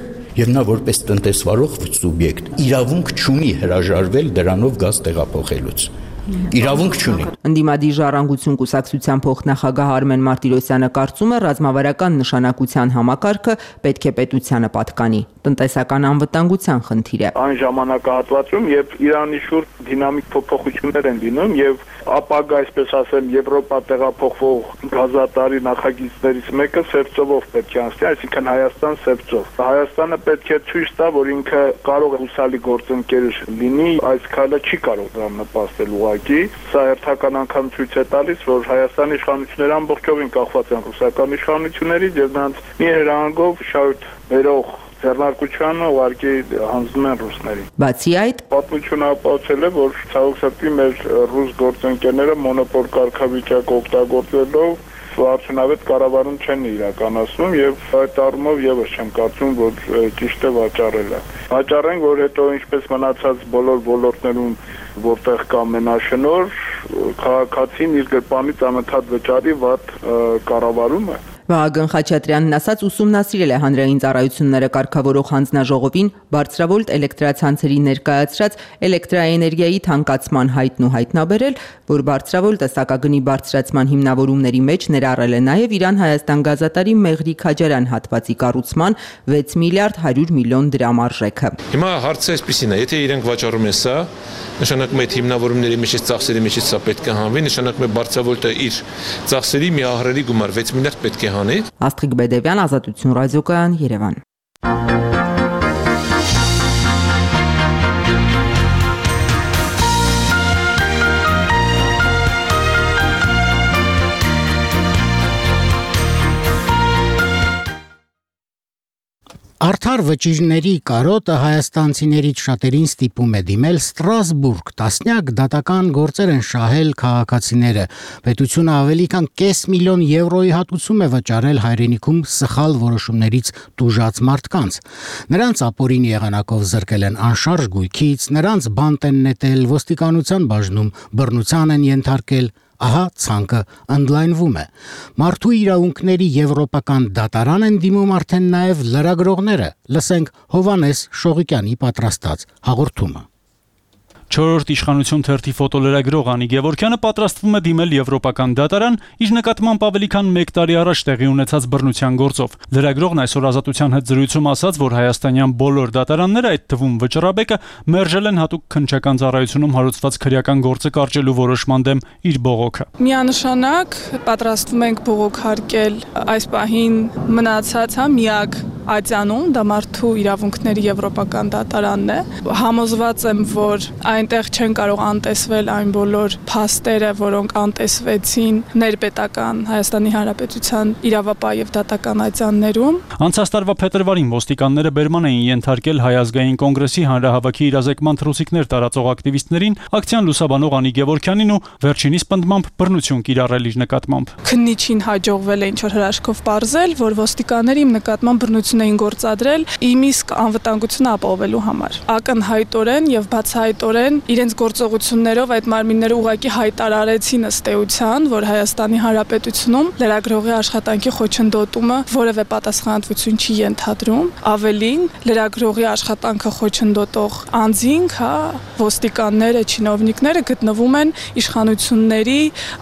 եւ նա որպես տնտեսվարող սուբյեկտ իրավունք չունի հրաժարվել դրանով գազ տեղափոխելուց։ Իրավունք չունի։ Ընդդիմադիր ժառանգություն կուսակցության փոխնախագահ Արմեն Մարտիրոսյանը կարծում է, ռազմավարական նշանակության համակարգը պետք է պետությանը պատկանի։ Տնտեսական անվտանգության խնդիր է։ Այն ժամանակահատվածում, երբ Իրանի շուրջ դինամիկ փոփոխություններ են լինում եւ ապագա, այսպես ասեմ, Եվրոպա տեղափոխվող գազատարի նախագիծներից մեկը Սևծովով պետք է անցնի, այսինքն Հայաստան Սևծով։ Հայաստանը պետք է ցույց տա, որ ինքը կարող է հուսալի գործընկեր լինի, այս քայլը չի կարող դրան նպաստել ուղղակի։ Սա հերթական անգամ ցույց է տալիս, որ Հայաստանի իշխանությունները ամբողջովին կախված են ռուսական իշխանություններից եւ նրանց մի հրահանգով շահույթ վերող ձեռնարկությանը ուղղակի հանձնում են ռուսներին։ Բացի այդ, պատմությունը ապացուցել է, որ ցավոք սրտի մեր ռուս գործընկերները մոնոպոլ կարգավիճակ օգտագործելով արդյունավետ կառավարում չեն իրականացնում եւ այդ առումով եւս չեմ կարծում, որ ճիշտ է վաճառելը։ Վաճառենք, որ հետո ինչպես մնացած բոլոր ոլորտներում, որտեղ կա մենաշնոր, քաղաքացին իր գրպանից անընդհատ վճարի վատ կառավարումը։ Վահագն Խաչատրյանն ասաց, ուսումնասիրել է հանրային ծառայությունները կարգավորող հանձնաժողովին բարձրավոլտ էլեկտրացանցերի ներկայացրած էլեկտրաէներգիայի թանկացման հայտն ու հայտնաբերել, որ բարձրավոլտ տեսակագնի բարձրացման հիմնավորումների մեջ ներառել է նաև Իրան-Հայաստան գազատարի Մեղրի Քաջարյան հատվածի կառուցման 6 միլիարդ 100 միլիոն դրամ արժեքը։ Հիմա հարցը այսպեսին է, եթե իրենք վաճառում են սա, նշանակում է այդ հիմնավորումների միջից ծախսերի միջից սա պետք է հանվի, նշանակում է բարձրավոլտը իր ծախսերի մի ահռելի գումար 6 միլիարդ պետք է հանի։ Աստղիկ Բեդևյան, Ազատություն ռադիոկայան, Երևան։ Արդար վճիրների կարոտը հայաստանցիներից շատերին ստիպում է դիմել Ստրասբուրգ, տասնյակ դատական գործեր են շահել քաղաքացիները, պետությունը ավելի քան €500,000 հատուցում է վճարել հայրենիքում սխալ որոշումներից տուժած մարդկանց, նրանց ապօրին եղանակով զրկել են անշարժ գույքից, նրանց բանտ են նետել, ոստիկանության բաժնում բռնության են ենթարկել, ահա ցանկը ընդլայնվում է։ Մարդու իրավունքների եվրոպական դատարան են դիմում արդեն նաև լրագրողները։ Լսենք Հովանես Շողիկյանի պատրաստած հաղորդումը։ 4-րդ իշխանություն թերթի ֆոտոլրագրող Անի Գևորգյանը պատրաստվում է դիմել Եվրոպական դատարան իր նկատմամբ ավելի քան 1 տարի առաջ տեղի ունեցած բռնության գործով։ Լրագրողն այսօր Ազատության հետ զրույցում ասաց, որ հայաստանյան բոլոր դատարանները, այդ թվում Վճռաբեկը, մերժել են հատուկ քննչական ծառայությունում հարուցված քրեական գործը կարճելու որոշման դեմ իր բողոքը։ Միանշանակ պատրաստվում ենք բողոքարկել այս պահին մնացած միակ ատյանում, դա մարդու իրավունքների Եվրոպական դատարանն է։ Համոզված եմ, որ այնտեղ չեն կարող անտեսվել այն բոլոր փաստերը, որոնք անտեսվեցին ներպետական Հայաստանի Հանրապետության իրավապահ եւ դատական ատյաններում։ Անցած տարվա փետրվարին ոստիկանները բերման էին ենթարկել Հայ ազգային կոնգրեսի հանրահավաքի իրազեկման թռուցիկներ տարածող ակտիվիստներին, ակցիան լուսաբանող Անի Գևորգյանին ու վերջինիս պնդմամբ բռնություն կիրառել իր նկատմամբ։ Քննիչին հաջողվել է ինչ-որ հրաշքով պարզել, որ ոստիկանները իմ նկատմամբ բռնություն էին գործադրել իմ իսկ անվտանգությունը ապահովելու համար։ Ակնհայտորեն եւ բացահայտորեն իրենց գործողություններով այդ մարմինները ուղղակի հայտարարեցին ըստ էության, որ Հայաստանի Հանրապետությունում լրագրողի աշխատանքի խոչընդոտումը որևէ պատասխանատվություն չի ենթադրում։ Ավելին, լրագրողի աշխատանքը խոչընդոտող անձինք, ոստիկանները, չինովնիկները գտնվում են իշխանությունների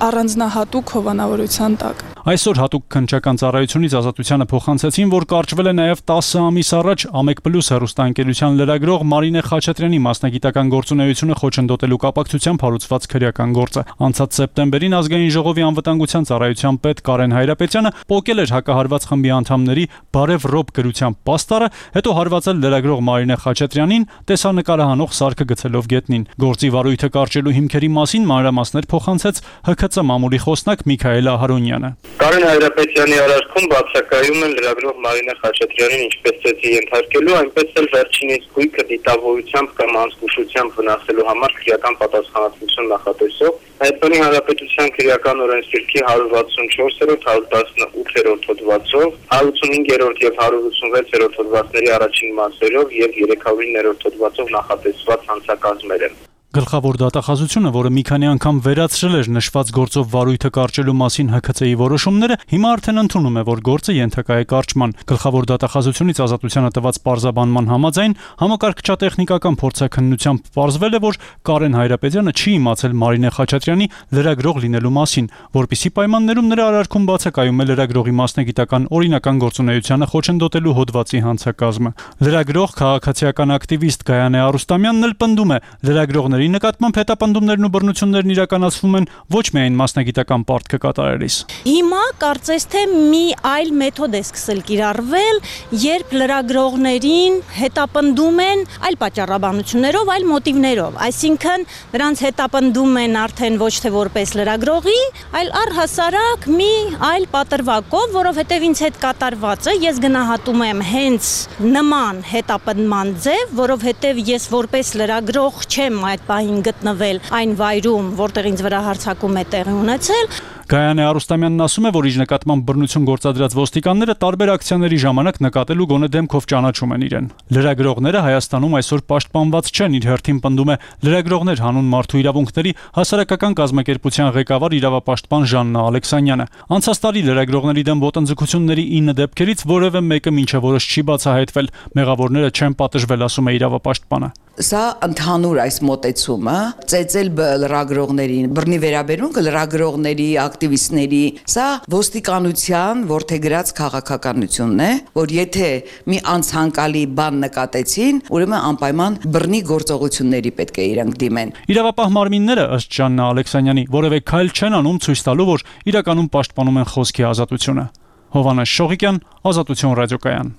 առանձնահատուկ հովանավորության տակ։ Այսօր հատուկ քննչական ծառայությունից Ազատությանը փոխանցեցին, որ կարճվել է նաև 10 ամիս առաջ Ամեկ+ հեռուստաընկերության լրագրող Մարինե Խաչատրյանի մասնագիտական գործունեությունը խոչընդոտելու կապակցությամբ հարուցված քրեական գործը։ Անցած սեպտեմբերին Ազգային ժողովի անվտանգության ծառայության պետ Կարեն Հայրապետյանը պոկել էր հակահարված խմբի անդամների Բարև Ռոբ գրության պաստառը, հետո հարվածել լրագրող Մարինե Խաչատրյանին տեսանկարահանող սարքը գցելով գետնին։ Գործի վարույթը կարճելու հիմքերի մասին մանրամասներ փոխանցեց ՀՔԾ մամուլի խոսնակ Միքայել Ահարոնյանը։ Կարեն Հայրապետյանի արարքում բացակայում են լրագրող Մարինե Խաչատրյանին ինչպես ծեծի ենթարկելու, այնպես էլ վերջինիս գույքը դիտավորությամբ կամ անզգուշությամբ վնասելու համար քրեական պատասխանատվություն նախատեսող Հայաստանի Հանրապետության քրեական օրենսգրքի 164-րդ, 118-րդ հոդվածով, 185-րդ եւ 186-րդ հոդվածների առաջին մասերով եւ 309-րդ հոդվածով նախատեսված հանցակազմեր են։ Գլխավոր դատախազությունը, որը մի քանի անգամ վերացրել էր նշված գործով վարույթը կարճելու մասին ՀՔՑ-ի որոշումները, հիմա արդեն ընդունում է, որ գործը ենթակա է կարճման։ Գլխավոր դատախազությունից Ազատությանը տված պարզաբանման համաձայն համակարգչատեխնիկական փորձաքննությամբ պարզվել է, որ Կարեն Հայրապետյանը չի իմացել Մարինե Խաչատրյանի լրագրող լինելու մասին, որպիսի պայմաններում նրա արարքում բացակայում է լրագրողի մասնագիտական օրինական գործունեությանը խոչընդոտելու հոդվածի հանցակազմը։ Լրագրող քաղաքացիական ակտիվիստ Գայանե Արուստամյանն էլ պնդում է, լրագրողների նկատմամբ հետապնդումներն ու բռնություններն իրականացվում են ոչ միայն մասնագիտական պարտքը կատարելիս։ Հիմա կարծես թե մի այլ մեթոդ է սկսել կիրառվել, երբ լրագրողներին հետապնդում են այլ պատճառաբանություններով, այլ մոտիվներով, այսինքն նրանց հետապնդում են արդեն ոչ թե որպես լրագրողի, այլ առհասարակ մի այլ պատրվակով, որովհետև ինձ հետ կատարվածը ես գնահատում եմ հենց նման հետապնդման ձև, որովհետև ես որպես լրագրող չեմ այդ պահին գտնվել այն վայրում, որտեղ ինձ վրա հարձակում է տեղի ունեցել։ Գայանե Արուստամյանն ասում է, որ իր նկատմամբ բռնություն գործադրած ոստիկանները տարբեր ակցիաների ժամանակ նկատել ու գոնե դեմքով ճանաչում են իրեն։ Լրագրողները Հայաստանում այսօր պաշտպանված չեն, իր հերթին պնդում է լրագրողներ հանուն մարդու իրավունքների հասարակական կազմակերպության ղեկավար իրավապաշտպան Ժաննա Ալեքսանյանը։ Անցած տարի լրագրողների դեմ ոտնձգությունների 9 դեպքերից որևէ մեկը մինչև օրս չի բացահայտվել։ Մեղավորները չեն պատժվել, ասում է իրավապաշտպանը։ Սա ընդհանուր այս մոտեցումը ծեծել լրագրողներին, բռնի վերաբերմունքը լրագրողների, ակտիվիստների, սա ոստիկանության որդեգրած քաղաքականությունն է, որ եթե մի անցանկալի բան նկատեցին, ուրեմն անպայման բռնի գործողությունների պետք է իրանք դիմեն։ Իրավապահ մարմինները, ըստ Ժաննա Ալեքսանյանի, որևէ քայլ չեն անում ցույց տալու, որ իրականում պաշտպանում են խոսքի ազատությունը։ Հովհաննես Շողիկյան, Ազատություն ռադիոկայան։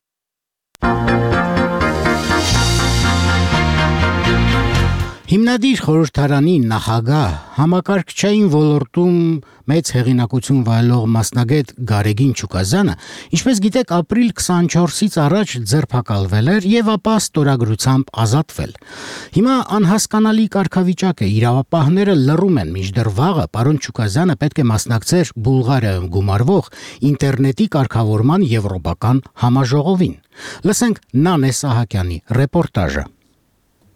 Հիմնադիր խորհրդարանի նախագահ համակարգչային ոլորտում մեծ հեղինակություն վայելող մասնագետ Գարեգին Չուկազյանը, ինչպես գիտեք, ապրիլ 24-ից առաջ ձերբակալվել էր եւ ապա ստորագրությամբ ազատվել։ Հիմա անհասկանալի կարգավիճակ է, իրավապահները լռում են, մինչդեռ վաղը պարոն Չուկազյանը պետք է մասնակցեր Բուլղարիայում գումարվող ինտերնետի կարգավորման եվրոպական համաժողովին։ Լսենք Նանե Սահակյանի ռեպորտաժը։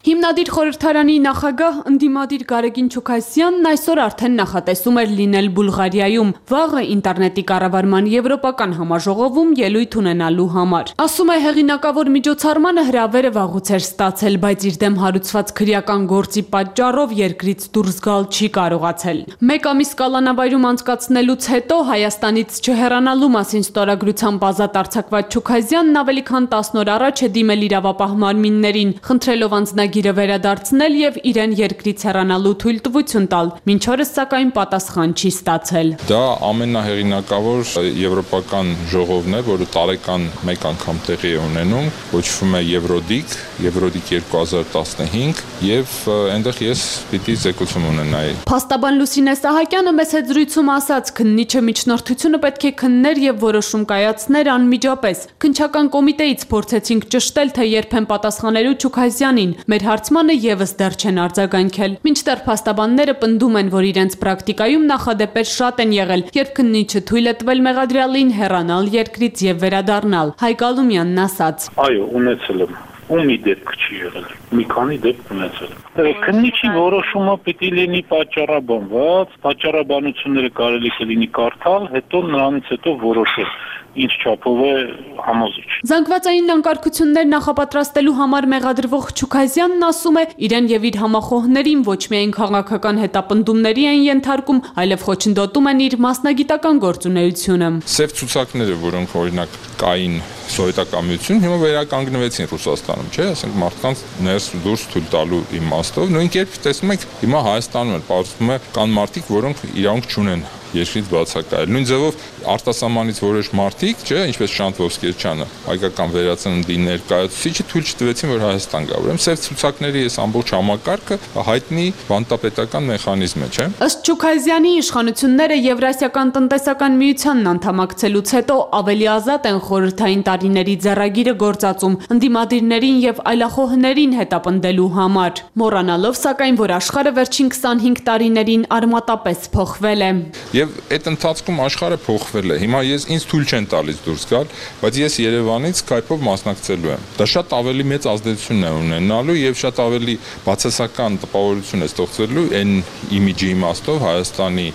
Հիմնադիր խորհրդարանի նախագահ ընդդիմադիր Գարեգին Չուքասյանն այսօր արդեն նախատեսում էր լինել Բուլղարիայում վաղը ինտերնետի կառավարման եվրոպական համաժողովում ելույթ ունենալու համար։ Ասում է հեղինակավոր միջոցառմանը հրավերը վաղուց էր ստացել, բայց իր դեմ հարուցված քրեական գործի պատճառով երկրից դուրս գալ չի կարողացել։ Մեկ ամիս կալանավայրում անցկացնելուց հետո Հայաստանից չհեռանալու մասին ստորագրությամբ ազատ արձակված Չուքասյանն ավելի քան 10 օր առաջ է դիմել իրավապահ մարմիններին, խնդրելով անձնագիրը վերադարձնել եւ իրեն երկրից հեռանալու թույլտվություն տալ։ Մինչ օրս սակայն պատասխան չի ստացել։ Դա ամենահեղինակավոր եվրոպական ժողովն է, որը տարեկան մեկ անգամ տեղի է ունենում, կոչվում է Եվրոդիկ 2015 եւ այնտեղ ես պիտի զեկուցում ունենայի։ Փաստաբան Լուսինե Սահակյանը մեծ զրույցում ասաց, քննիչը միջնորդությունը պետք է քններ եւ որոշում կայացներ անմիջապես։ Քննչական կոմիտեից փորձեցինք ճշտել, թե երբ են պատասխանելու Չուքասյանին։ Մեր հարցմանը եւս դեռ չեն արձագանքել։ Մինչդեռ փաստաբանները պնդում են, որ իրենց պրակտիկայում նախադեպեր շատ են եղել, երբ քննիչը թույլ է տվել մեղադրյալին հեռանալ երկրից եւ վերադառնալ։ Հայկ Ալումյանն ասաց. Այո, ունեցել եմ։ Ու մի դեպք չի եղել։ Մի քանի դեպք ունեցել եմ։ Քննիչի որոշումը պիտի լինի պատճառաբանված, պատճառաբանությունները կարելի կլինի կարդալ, հետո նրանից հետո որոշել ինչ չափով է համոզիչ։ Զանգվածային անկարգություններ նախապատրաստելու համար մեղադրվող Չուքասյանն ասում է, իրեն եւ իր համախոհներին ոչ միայն քաղաքական հետապնդումների են ենթարկում, այլև խոչընդոտում են իր մասնագիտական գործունեությունը։ Սև ցուցակները, որոնք օրինակ կային սովետական հիմա վերականգնվեցին Ռուսաստանում, չէ՞, ասենք մարդկանց ներս ու դուրս թույլ տալու իմաստով, նույն կերպ տեսնում եք, հիմա Հայաստանում էլ պարզվում է կան մարդիկ, որոնք իրանք չունեն երկրից բացակայել։ Նույն ձևով արտասահմանից որոշ մարդիկ, չէ, ինչպես Շանթ Ոսկերչյանը, հայկական վերածննդի ներկայացուցիչը թույլ չտվեցին, որ Հայաստան գա։ Ուրեմն սև ցուցակների այս ամբողջ համակարգը հայտնի բանտապետական մեխանիզմ է, չէ։ Ըստ Չուքասյանի իշխանությունները Եվրասիական տնտեսական միությանն անդամակցելուց հետո ավելի ազատ են խորհրդային տարիների ձեռագիրը գործածում ընդդիմադիրներին եւ այլախոհներին հետապնդելու համար, մոռանալով սակայն, որ աշխարհը վերջին 25 տարիներին արմատապես փոխվել է։ Եվ այդ ընթացքում աշխարհը փոխվել է։ Հիմա ինձ թույլ չեն տալիս դուրս գալ, բայց ես Երևանից Skype-ով մասնակցելու եմ։ Դա շատ ավելի մեծ ազդեցություն է ունենալու եւ շատ ավելի բացասական տպավորություն է ստեղծվելու այն իմիջի իմաստով Հայաստանի,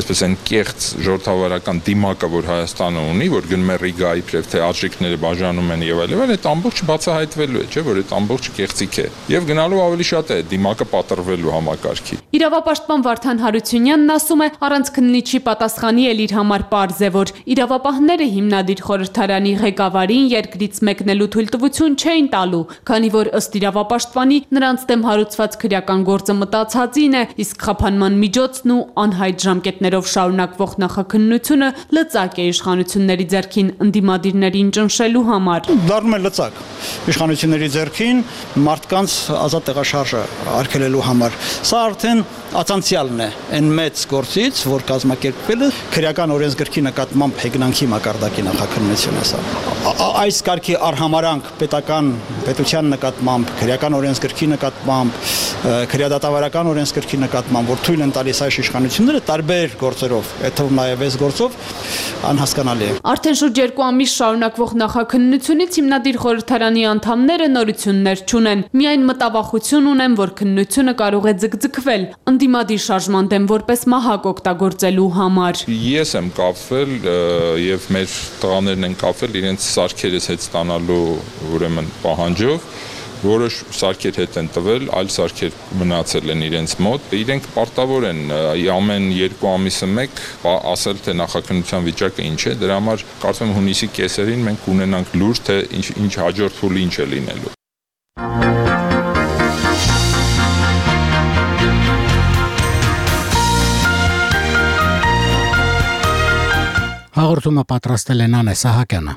այսպես են կեղծ ժողովրդավարական դիմակը, որ Հայաստանը ունի, որ գնում է Ռիգայի իբրև թե արժեքները բաժանում են եւ այլն, այդ ամբողջը բացահայտվելու է, չէ՞, որ այդ ամբողջը կեղծիք է։ Եվ գնալու ավելի շատ է դիմակը պատրվելու համակարգի։ Իրավապաշտպան Վարդան Հարությունյանն ասում է, առանց քննիչի պատասխանի էլ իր համար պարզ է, որ իրավապահները հիմնադիր խորհրդարանի ղեկավարին երկրից մեկնելու թույլտվություն չէին տալու, քանի որ ըստ իրավապաշտպանի նրանց դեմ հարուցված քրեական գործը մտածածին է, իսկ խափանման միջոցն ու անհայտ ժամկետներով շարունակվող նախաքննությունը լծակ է իշխանությունների ձեռքին ընդդիմադիրներին ճնշելու համար։ Դառնում է լծակ իշխանությունների ձեռքին մարդկանց ազատ տեղաշարժը արգելելու համար։ Սա արդեն ացանցիալն է այն մեծ գործից, որ կազմակերպվել է քրեական օրենսգրքի նկատմամբ հեգնանքի մակարդակի նախաքննություն է սա։ Այս կարգի արհամարանք պետության նկատմամբ, քրեական օրենսգրքի նկատմամբ, քրեադատավարական օրենսգրքի նկատմամբ, որ թույլ են տալիս այս իշխանությունները տարբեր գործերով, այդ թվում նաև այս գործով անհասկանալի է։ Արդեն շուրջ 2 ամիս շարունակվող նախաքննությունից հիմնադիր խորհրդարանի անդամները նորություններ չունեն, միայն մտավախություն ունեն, որ քննությունը կարող է ձգձգվել ընդդիմադիր շարժման դեմ որպես մահակ օգտագործելու համար։ Ես եմ կապվել եւ մեր տղաներն են կապվել իրենց սարքերից հետ ստանալու ուրեմն պահանջով, որոշ սարքեր հետ են տվել, այլ սարքեր մնացել են իրենց մոտ։ Իրենք պարտավոր են ամեն 2 ամիսը մեկ ասել, թե նախաքննության վիճակը ինչ է, դրա համար կարծում եմ հունիսի կեսերին մենք ունենանք լուր, թե ինչ հաջորդ փուլը ինչ է լինելու։ Հաղորդումը պատրաստել է Նանե Սահակյանը։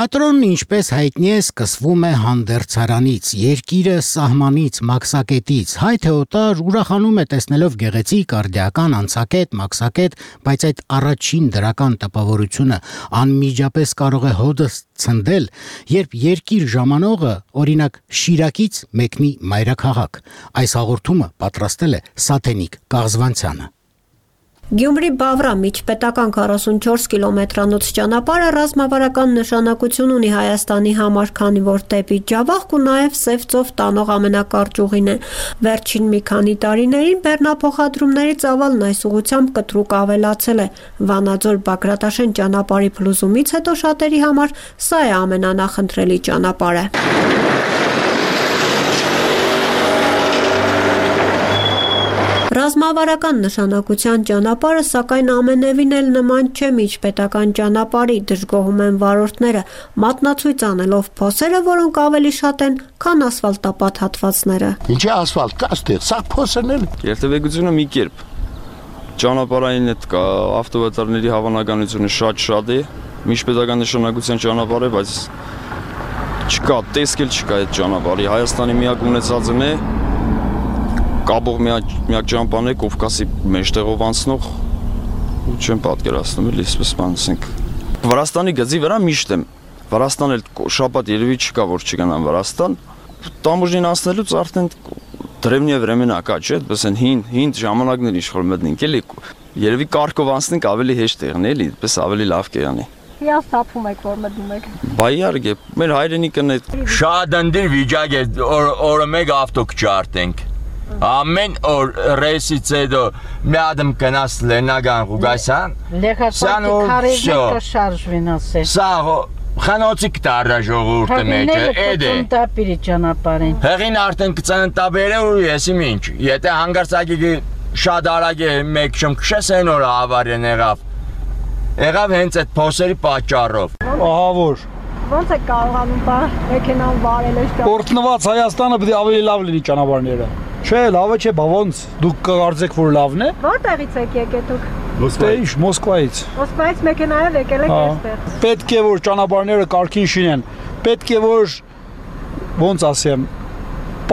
Թատրոնն, ինչպես հայտնի է, սկսվում է հանդերձարանից, երկիրը սահմանից, մաքսակետից, հայ թե օտար ուրախանում է տեսնելով գեղեցիկ, արդիական, անցակետ, մաքսակետ, բայց այդ առաջին դրական տպավորությունը անմիջապես կարող է հոդը ցնդել, երբ երկիր ժամանողը, օրինակ Շիրակից մեկնի մայրաքաղաք։ Այս հաղորդումը պատրաստել է Սաթենիկ Կաղզվանցյանը։ Գյումրի Բավրա միջպետական 44 կիլոմետրանոց ճանապարհը ռազմավարական նշանակություն ունի Հայաստանի համար, քանի որ դեպի Ջավախք ու նաև Սև ծով տանող ամենակարճ ուղին է։ Վերջին մի քանի տարիներին բեռնափոխադրումների ծավալն այս ուղղությամբ կտրուկ ավելացել է։ Վանաձոր-Բագրատաշեն ճանապարհի փլուզումից հետո շատերի համար սա է ամենանախընտրելի ճանապարհը։ Ռազմավարական նշանակության ճանապարհը, սակայն ամենևին էլ նման չէ միջպետական ճանապարհի, դժգոհում են վարորդները, մատնացույց անելով փոսերը, որոնք ավելի շատ են, քան ասֆալտապատ հատվածները։ Ինչի ասֆալտ կա ստեղ, սա փոսն էլ։ Երթևեկությունը մի կերպ։ Ճանապարհային այդ ավտովետարների հավանականությունը շատ է, միջպետական նշանակության ճանապարհ է, բայց չկա, տեսքել չկա այդ ճանապարհի։ Հայաստանի միակ ունեցածն է կաբող միակ ճամփան է Կովկասի մեջտեղով անցնող ու չեմ պատկերացնում էլի այսպես բանցենք Վրաստանի գծի վրա միշտ եմ Վրաստան էլ շաբաթ երևի չկա որ չգնամ Վրաստան տամուժին անցնելուց արդեն դրևնիա времена կա չէ այդպես են հին ժամանակներ իշխոր մտնենք էլի երևի կարգով անցնենք ավելի հեշտ եղնի էլի այդպես ավելի լավ կերանի Հիանց թափում եք որ մտնում եք Բայ իհարկե մեր հայրենիքն է շատ ընդիր վիճակ է օրը մեկ ավտո կճարտենք Ամեն օր ռեյսից հետո մի ադմ կնաս Լեննագան Ղուգասյան Լեխապատի քարերն կշարժվին ասել Սա խանոցի կտարրա ժողովուրդը մեջը էդ է Տապիրի ճանապարհին Հեղին արդեն կծնտաբերը ու եսի ինչ Եթե հանգարցակի շատ արագ է մեկ շմ քշես այն օրը ավարեն եղավ հենց այդ փոսերի պատճառով Ահա որ Ոնց է կարողանում մեքենան վարել այս Օրտնված Հայաստանը պետք է ավելի լավ լինի ճանապարհները Չէ, լավը չէ, բա ոնց դուք կարծեք որ լավն է Որտեղից եք եկել դուք Մոսկվայից Մոսկվայից մեքենայով եկել եք այստեղ Պետք է որ ճանապարհները կարգին շինեն Պետք է որ ոնց ասեմ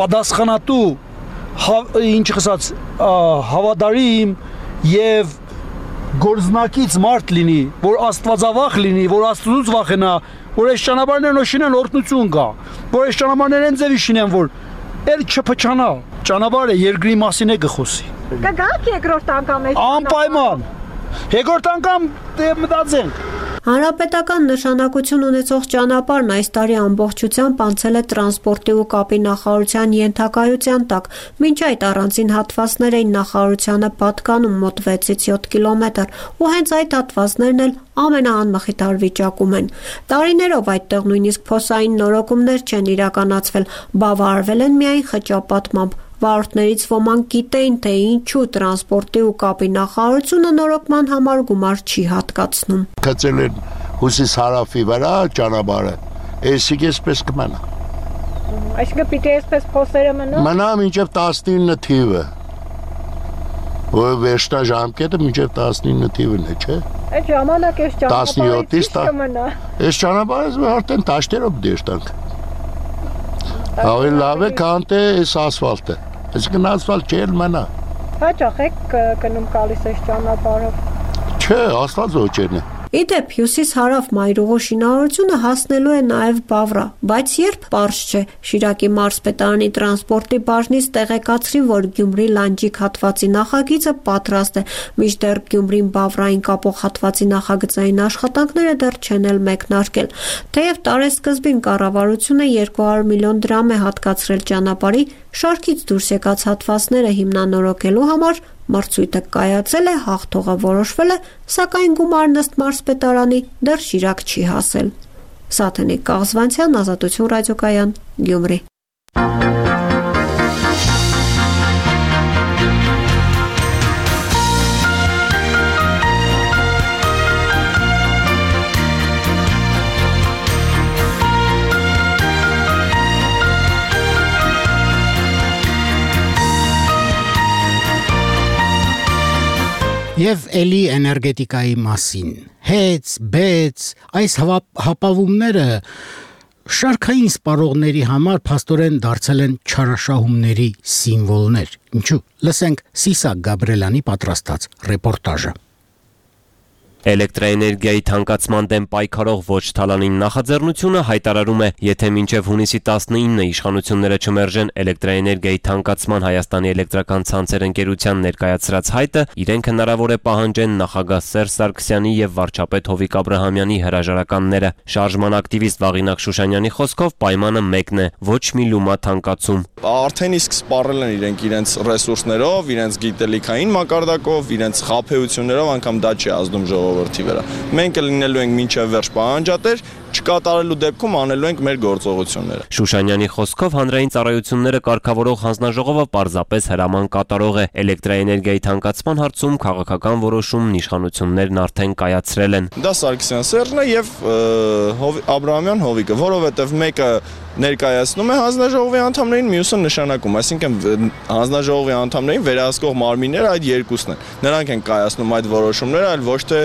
պատասխանատու ինչ ասած հավատարիմ եւ գործնակից մարդ լինի որ աստվածավախ լինի որ աստծուց վախենա որ այս ճանապարհներն շինեն օրհնություն կա որ այս ճանապարհներն ձևի շինեն որ էլ չփչանա ճանապարհը երկրի մասին է գխոսի Կգաք երկրորդ անգամ այս անպայման երկրորդ անգամ մտածենք Հանրապետական նշանակություն ունեցող ճանապարհն այս տարի ամբողջությամբ անցել է տրանսպորտի ու կապի նախարարության ենթակայության տակ, մինչ այդ առանձին հատվածներ էին նախարարությանը պատկանում մոտ 6-ից 7 կիլոմետր, ու հենց այդ հատվածներն էլ ամենաանմխիթար վիճակում են։ Տարիներով այդտեղ նույնիսկ փոսային նորոգումներ չեն իրականացվել, բավարարվել են միայն խճապատմամբ։ Վարորդներից ոմանք գիտեին, թե ինչու տրանսպորտի ու կապի նախարարությունը նորոգման համար գումար չի հատկացնում։ Գծել են հյուսիս հարավի վրա ճանապարհը, այսինքն էսպես կմնա։ Այսինքն պիտի այսպես փոսերը մնա։ Մնա մինչև 19 թիվը։ Որ վերջնա ժամկետը մինչև 19 թիվն է, չէ։ Այդ ժամանակ այս ճանապարհից կմնա։ Այս ճանապարհը արդեն տաշտերով դեշտանք։ Ավելի լավ է, քան թե այս ասֆալտը։ Այսինքն ասֆալտ չէ, մնա։ Հաճախ եք գնում գալիս այս ճանապարհով։ Չէ, ասֆալտ ոչերն է։ Իդեպ հյուսիս-հարավ մայրուղու շինարարությունը հասնելու է նաև Բավրա, բայց երբ պարզ չէ։ Շիրակի մարզպետարանի տրանսպորտի բաժնից տեղեկացրին, որ Գյումրի Լանջիկ հատվածի նախագիծը պատրաստ է, մինչդեռ Գյումրին Բավրային կապող հատվածի նախագծային աշխատանքները դեռ չեն էլ մեկնարկել։ Թեև տարեսկզբին կառավարությունը 200 միլիոն դրամ է հատկացրել ճանապարհի շարքից դուրս եկած հատվածները հիմնանորոգելու համար, մրցույթը կայացել է, հաղթողը որոշվել է, սակայն գումարն ըստ մարզպետարանի դեռ Շիրակ չի հասել։ Սաթենիկ Կաղզվանցյան, Ազատություն ռադիոկայան, Գյումրի։ Եվ էլի էներգետիկայի մասին։ Հեց, բեց, այս հապավումները շարքային սպառողների համար փաստորեն դարձել են չարաշահումների սիմվոլներ։ Ինչու՞։ Լսենք Սիսակ Գաբրելյանի պատրաստած ռեպորտաժը։ Էլեկտրաէներգիայի թանկացման դեմ պայքարող ոչ թալանին նախաձեռնությունը հայտարարում է, եթե մինչև հունիսի 19-ը իշխանությունները չմերժեն էլեկտրաէներգիայի թանկացման Հայաստանի էլեկտրական ցանցեր ընկերության ներկայացրած հայտը, իրենք հնարավոր է պահանջեն նախագահ Սերժ Սարգսյանի եւ վարչապետ Հովիկ Աբրահամյանի հրաժարականները։ Շարժման ակտիվիստ Վաղինակ Շուշանյանի խոսքով պայմանը մեկն է՝ ոչ մի լումա թանկացում։ Արդեն իսկ սպառել են իրենց ռեսուրսներով, իրենց գիտելիքային մակարդակով, իրենց խաբեություններով, անգամ դա չի ազդում ժողովրդի վրա։ Մենք լինելու ենք մինչև վերջ պահանջատեր, չկատարելու դեպքում անելու ենք մեր գործողությունները։ Շուշանյանի խոսքով հանրային ծառայությունները կարգավորող հանձնաժողովը պարզապես հրաման կատարող է։ Էլեկտրաէներգիայի թանկացման հարցում քաղաքական որոշումն իշխանություններն արդեն կայացրել են։ Դա Սարգսյան Սերժն է եւ Աբրահամյան Հովիկը, որովհետեւ մեկը ներկայացնում է հանձնաժողովի անդամներին, մյուսը նշանակում, այսինքն հանձնաժողովի անդամներին վերահսկող մարմինները այդ երկուսն են։ Նրանք են կայացնում այդ որոշումները, այլ ոչ թե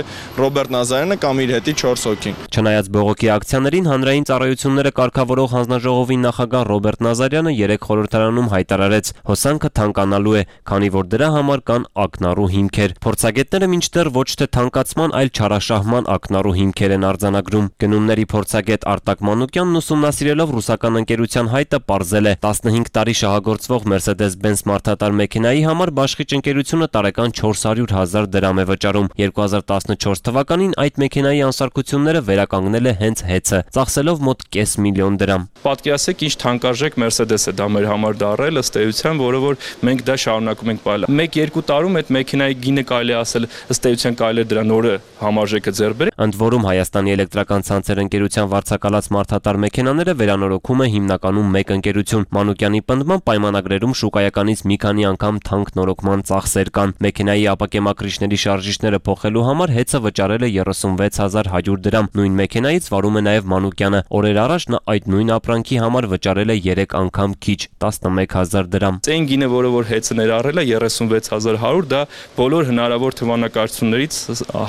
Ռոբերտ Նազարյանը կամ իր հետի 4 հոգին։ Չնայած բողոքի ակցիաներին հանրային ծառայությունները կարգավորող հանձնաժողովի նախագահ Ռոբերտ Նազարյանը երեք խորհրդարանում հայտարարեց, հոսանքը թանկանալու է, քանի որ դրա համար կան ակնառու հիմքեր։ Փորձագետները մինչդեռ ոչ թե թանկացման, այլ չարաշահման ակնառու հիմքեր են արձանագրում։ Գնումների փորձագետ Արտակ Մանուկյանն ուսումնասիրելով ռուսական ընկերության հայտը պարզել է 15 տարի շահագործվող Mercedes-Benz մարդատար մեքենայի համար բաշխիչ ընկերությունը տարեկան 400,000 դրամ է վճարում։ 2014 թվականին այդ մեքենայի անսարքությունները վերականգնել է հենց հեծը, ծախսելով մոտ $500,000 դրամ։ Պատկերացեք ինչ թանկարժեք Mercedes է դա մեր համար դարել ըստ էության, որը որ մենք դա շարունակում ենք պահել։ 1-2 տարում այդ մեքենայի գինը կարելի ասել ըստ էության կարելի է դրա նորը համարժեքը ձեռք բերել։ Ընդ որում Հայաստանի էլեկտրական ցանցեր ընկերության վարձակալած մարդատար մեքենաները վերանորոգում է հիմնականում մեկ ընկերություն։ Մանուկյանի պնդմամբ պայմանագրերում շուկայականից մի քանի անգամ թանկ նորոգման ծախսեր կան։ Մեքենայի ապակեմակրիչների շարժիչները փոխելու համար հեծը վճարել է 36,100 դրամ։ Նույն մեքենայից վարում է նաև Մանուկյանը։ Օրեր առաջ նա այդ նույն ապրանքի համար վճարել է 3 անգամ քիչ 11,000 դրամ։ Այն գինը, որը որ հեծը ներառել է 36,100, դա բոլոր հնարավոր թվանկարություններից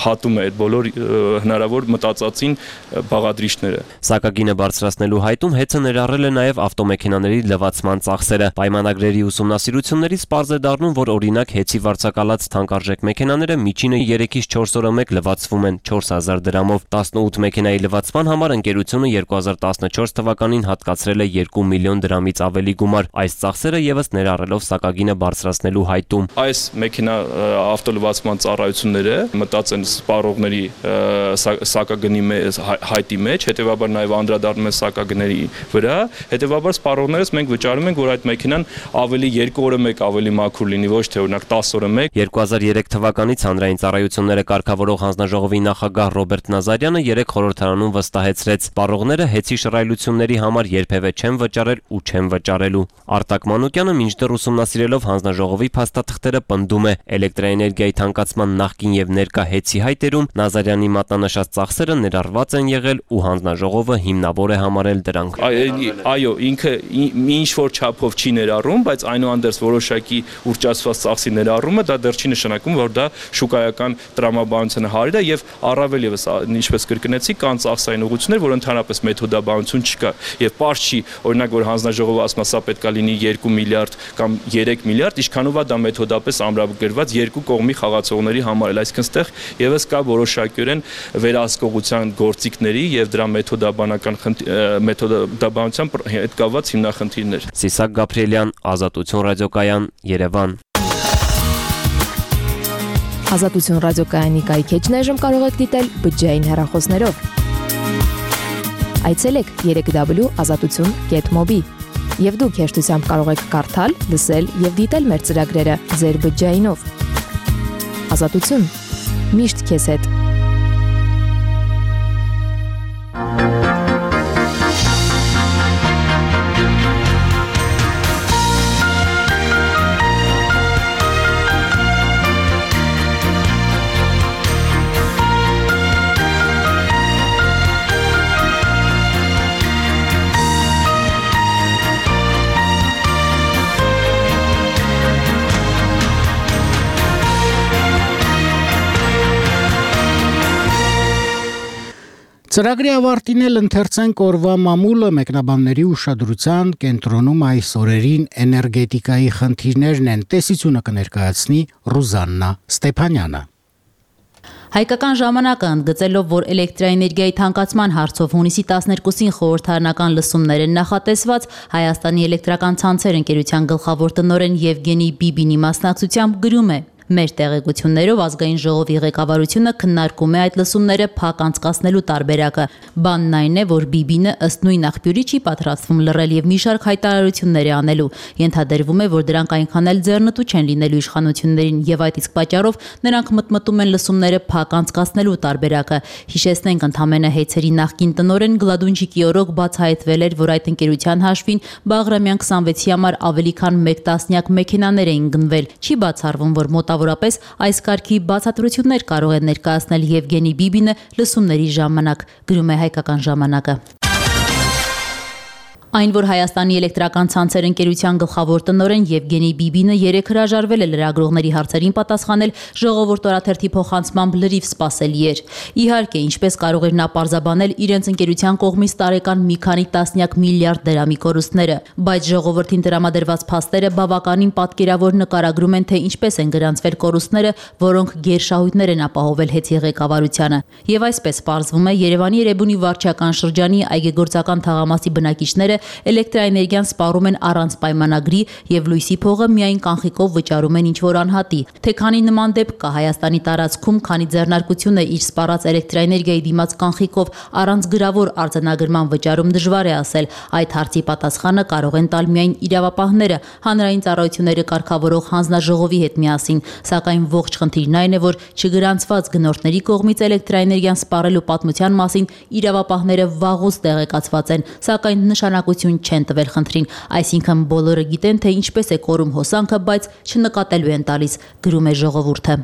հատում է այդ բոլոր հնարավոր մտածածին բաղադրիչները։ Սակագինը բարձրացնելու հայտում հեծը ներառել է նաև ավտոմեքենաների լվացման ծախսերը։ Պայմանագրերի ուսումնասիրություններից պարզ է դառնում, որ օրինակ հեծի վարձակալած թանկարժեք մեքենաները միջինը 3-ից 4 օրը մեկ լվացվում են 4,000 դրամով։ 18 մեքենայի լվացման համար ընկերությունը 2014 թվականին հատկացրել է 2 միլիոն դրամից ավելի գումար։ Այս ծախսերը եւս ներառելով սակագինը բարձրացնելու հայտում։ Այս մեքենա ավտոլվացման ծառայությունները մտած են սպառողների սակագնի հայտի մեջ, հետեւաբար նաև անդրադառնում են սակագների վրա, հետեւաբար սպառողներս մենք վճարում ենք, որ այդ մեքենան ավելի 2 օրը մեկ ավելի մաքուր լինի, ոչ թե օրինակ 10 օրը մեկ։ 2003 թվականից հանրային ծառայությունները կարգավորող հանձնաժողովի նախագահ Ռոբերտ Նազարյանը երեք խորհրդարանում վստահեցրեց. սպառողները հեծի շռայլությունների համար երբևէ չեն վճարել ու չեն վճարելու։ Արտակ Մանուկյանը մինչդեռ ուսումնասիրելով հանձնաժողովի փաստաթղթերը պնդում է, էլեկտրաէներգիայի թանկացման նախկին եւ ներկա հեծի հայտերում Նազարյանի մատնանշած ծախսերը ներառված են եղել ու հանձնաժողովը հիմնավոր է համարել դրանք։ Այո, ինքը ինչ որ չափով չի ներառում, բայց այնուհանդերձ որոշակի ուռճացված ծախսի ներառումը դա դեռ չի նշանակում, որ դա շուկայական տրամաբանության հարիր է եւ առավել եւս ինչպես կրկնեցի, կան ծախսային ուղղություններ, որ ընդհանրապես մեթոդաբանություն չկա եւ պարզ չի, օրինակ որ հանձնաժողովը ասում է, սա պետք է լինի 2 միլիարդ կամ 3 միլիարդ, ինչքանով է դա մեթոդապես ամրագրված երկու կողմի խաղացողների համար, այսինքն ստեղ եւս կա որոշակիորեն վերահսկողության գործիքների եւ դրա մեթոդաբանության հետ կապված հիմնախնդիրներ։ Սիսակ Գաբրիելյան, Ազատություն ռադիոկայան, Երևան։ Ազատություն ռադիոկայանի կայքեջն այժմ կարող եք դիտել բջջային հեռախոսներով։ Այցելեք www.azatutun.mobi եւ դուք հեշտությամբ կարող եք կարդալ, լսել եւ դիտել մեր ծրագրերը ձեր բջջայինով։ Ազատություն։ Միշտ քեզ հետ։ Ծրագրի ավարտին էլ ընթերցենք օրվա մամուլը մեկնաբանների ուշադրության կենտրոնում այս օրերին էներգետիկայի խնդիրներն են, տեսությունը կներկայացնի Ռուզաննա Ստեփանյանը։ Հայկական ժամանակը ընդգծելով, որ էլեկտրաէներգիայի թանկացման հարցով հունիսի 12-ին խորհրդարանական լսումներ են նախատեսված, Հայաստանի էլեկտրական ցանցեր ընկերության գլխավոր տնօրեն Եվգենի Բիբինի մասնակցությամբ գրում է. Մեր տեղեկություններով ազգային ժողովի ղեկավարությունը քննարկում է այդ լսումները փակ անցկացնելու տարբերակը։ Բանն այն է, որ Բիբինը ըստ նույն աղբյուրի չի պատրաստվում լռել եւ մի շարք հայտարարություններ է անելու։ Ենթադրվում է, որ դրանք այնքան էլ ձեռնտու չեն լինելու իշխանություններին եւ այդ իսկ պատճառով նրանք մտմտում են լսումները փակ անցկացնելու տարբերակը։ Հիշեցնենք, ընդամենը Հեյցերի նախկին տնօրեն Գլադունջիկի օրոք բացահայտվել էր, որ այդ ընկերության հաշվին Բաղրամյան 26-ի համար ավելի քան 1 տասնյակ մեքենաներ էին գնվել։ Չի բացառվում, որ մոտավորապես այս կարգի բացատրություններ կարող է ներկայացնել Եվգենի Բիբինը լսումների ժամանակ, գրում է Հայկական ժամանակը։ Այն, որ Հայաստանի էլեկտրական ցանցեր ընկերության գլխավոր տնօրեն Եվգենի Բիբինը երեկ հրաժարվել է լրագրողների հարցերին պատասխանել, ժողովուրդ օրաթերթի փոխանցմամբ լրիվ սպասելի էր։ Իհարկե, ինչպես կարող էր նա պարզաբանել իրենց ընկերության կողմից տարեկան մի քանի տասնյակ միլիարդ դրամի կորուստները, բայց ժողովրդին տրամադրված փաստերը բավականին պատկերավոր նկարագրում են, թե ինչպես են գրանցվել կորուստները, որոնք գերշահույթներ են ապահովել Հեյցի ղեկավարությանը։ Եվ այսպես պարզվում է, Երևանի Էրեբունի վարչական շրջանի այգեգործական թաղամասի բնակիչները էլեկտրաէներգիան սպառում են առանց պայմանագրի եւ լույսի փողը միայն կանխիկով վճարում են ինչ-որ անհատի։ Թե քանի նման դեպք կա Հայաստանի տարածքում, քանի ձեռնարկությունը իր սպառած էլեկտրաէներգիայի դիմաց կանխիկով առանց գրավոր արձանագրման վճարում դժվար է ասել։ Այդ հարցի պատասխանը կարող են տալ միայն իրավապահները, հանրային ծառայությունները կարգավորող հանձնաժողովի հետ միասին, սակայն ողջ խնդիրն այն է, որ չգրանցված գնորդների կողմից էլեկտրաէներգիան սպառելու պատմության մասին իրավապահները վաղուց տեղեկացված են, սակայն նշանակություն չեն տվել խնդրին, այսինքն բոլորը գիտեն, թե ինչպես է կորում հոսանքը, բայց չնկատելու են տալիս, գրում է ժողովուրդը։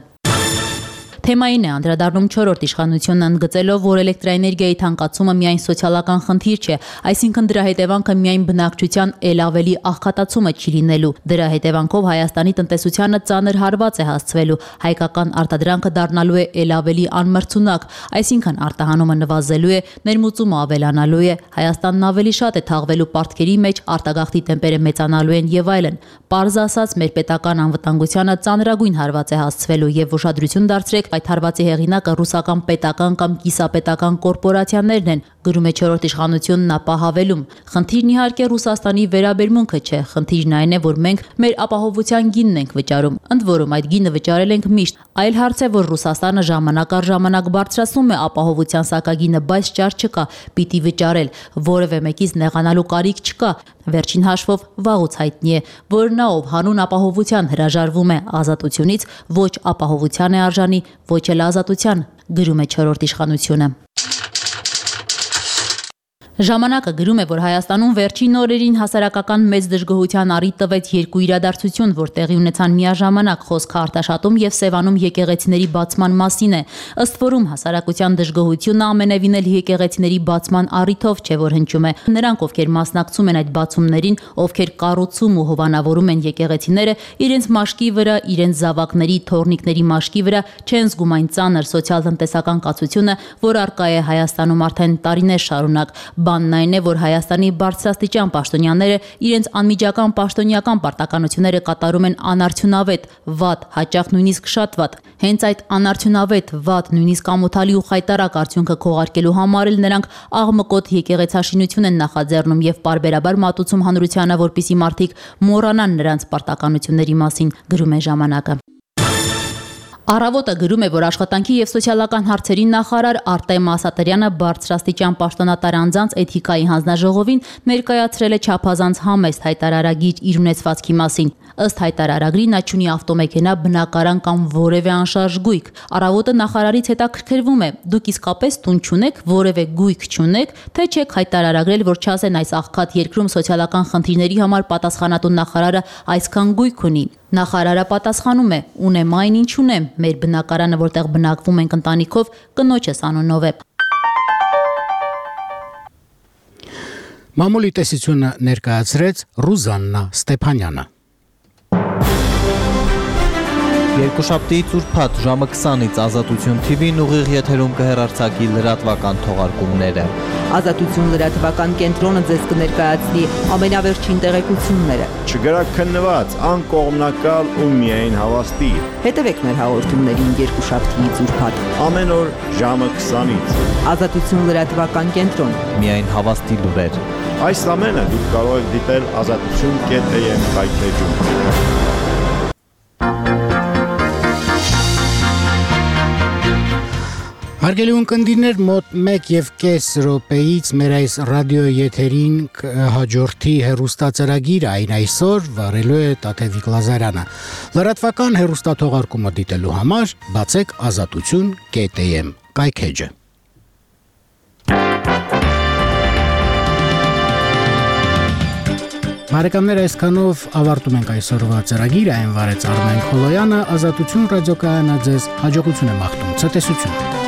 Թեմային է անդրադառնում 4-րդ իշխանությունը ընդգծելով, որ էլեկտրաէներգիայի թանկացումը միայն սոցիալական խնդիր չէ, այսինքն դրա հետևանքը միայն բնակչության ել ավելի աղքատացումը չի լինելու։ Դրա հետևանքով Հայաստանի տնտեսությանը ծանր հարված է հասցվելու, հայկական արտադրանքը դառնալու է ել ավելի անմրցունակ, այսինքն արտահանումը նվազելու է, ներմուծումը ավելանալու է, Հայաստանն ավելի շատ է թաղվելու պարտքերի մեջ, արտագաղթի տեմպերը մեծանալու են եւ այլն։ Պարզ ասած, մեր պետական անվտանգությանը ծանրագույն հարված է հասցվելու եւ ուշադրություն դարձրեք այդ հարվածի հեղինակը ռուսական պետական կամ կիսապետական կորպորացիաներն են, գրում է 4-րդ իշխանությունն ապահավելում։ Խնդիրն իհարկե Ռուսաստանի վերաբերմունքը չէ, խնդիրն այն է, որ մենք մեր ապահովության գինն ենք վճարում, ընդ որում այդ գինը վճարել ենք միշտ։ Այլ հարց է, որ Ռուսաստանը ժամանակ առ ժամանակ բարձրացնում է ապահովության սակագինը, բայց ճար չկա, պիտի վճարել, որևէ մեկից նեղանալու կարիք չկա։ Վերջին հաշվով վաղուց հայտնի է, որ նա ով հանուն ապահովության հրաժարվում է ազատությունից, ոչ ապահովության է արժանի, ոչ էլ ազատության, գրում է 4-րդ իշխանությունը։ Ժամանակը գրում է, որ Հայաստանում վերջին օրերին հասարակական մեծ դժգոհության առիթ տվեց երկու իրադարձություն, որ տեղի ունեցան միաժամանակ, խոսքը Արտաշատում եւ Սևանում եկեղեցիների բացման մասին է։ Ըստ որում հասարակության դժգոհությունը ամենևին էլ եկեղեցիների բացման առիթով չէ, որ հնչում է։ Նրանք, ովքեր մասնակցում են այդ բացումներին, ովքեր կառուցում ու հովանավորում են եկեղեցիները, իրենց մաշկի վրա, իրենց զավակների, թոռնիկների մաշկի վրա չեն զգում այն ծանր սոցիալ-տնտեսական կացությունը, որ առկա է Հայաստանում արդեն տարիներ շարունակ։ Բանն այն է, որ Հայաստանի բարձրաստիճան պաշտոնյաները իրենց անմիջական պաշտոնյական պարտականությունները կատարում են անարդյունավետ, վատ, հաճախ նույնիսկ շատ վատ։ Հենց այդ անարդյունավետ, վատ, նույնիսկ ամոթալի ու խայտառակ արդյունքը քողարկելու համար էլ նրանք աղմկոտ եկեղեցաշինություն են նախաձեռնում եւ պարբերաբար մատուցում հանրությանը, որպիսի մարդիկ մոռանան նրանց պարտականությունների մասին, գրում է ժամանակը։ Առավոտը գրում է, որ աշխատանքի եւ սոցիալական հարցերի նախարար Արտեմ Ասատրյանը բարձրաստիճան պաշտոնատար անձանց էթիկայի հանձնաժողովին ներկայացրել է չափազանց համեստ հայտարարագիր իր ունեցվածքի մասին։ Ըստ հայտարարագրի նա չունի ավտոմեքենա, բնակարան կամ որևէ անշարժ գույք։ Առավոտը նախարարից հետաքրքրվում է. դուք իսկապես տուն չունեք, որևէ գույք չունեք, թե չեք հայտարարագրել, որ չասեն այս աղքատ երկրում սոցիալական խնդիրների համար պատասխանատու նախարարը այսքան գույք ունի։ Նախարարը պատասխանում է. ունեմ այն, ինչ ունեմ, մեր բնակարանը, որտեղ բնակվում ենք ընտանիքով, կնոջս անունով է։ Մամուլի տեսությունը ներկայացրեց Ռուզաննա Ստեփանյանը։ Երկուշաբթի ծուրփաթ ժամը 20-ից Ազատություն TV-ն ուղիղ եթերում կհեռարձակի լրատվական թողարկումները։ Ազատություն լրատվական կենտրոնը ձեզ կներկայացնի ամենավերջին տեղեկությունները։ Չգրակ քննված, անկողմնակալ ու միայն հավաստի։ Հետևեք մեր հաղորդումներին երկուշաբթի ծուրփաթ։ Ամեն օր ժամը 20-ից։ Ազատություն լրատվական կենտրոն։ Միայն հավաստի լուրեր։ Այս ամենը դուք կարող եք դիտել azatutun.am կայքեջում։ Հարգելի ունկնդիրներ, մոտ 1.5 րոպեից մեր այս ռադիո եթերին հաջորդի հեռուստացարագիր այն այսօր վարելու է Տաթևիկ Լազարյանը։ Լրատվական հեռուստաթողարկումը դիտելու համար բացեք azatutun.am կայքեջը։ Բարեկամներ, այսքանով ավարտում ենք այսօրվա ծրագիրը, այն վարեց Արմեն Քոլոյանը, Ազատություն ռադիոկայանը ձեզ հաջողություն է մաղթում, ցտեսություն։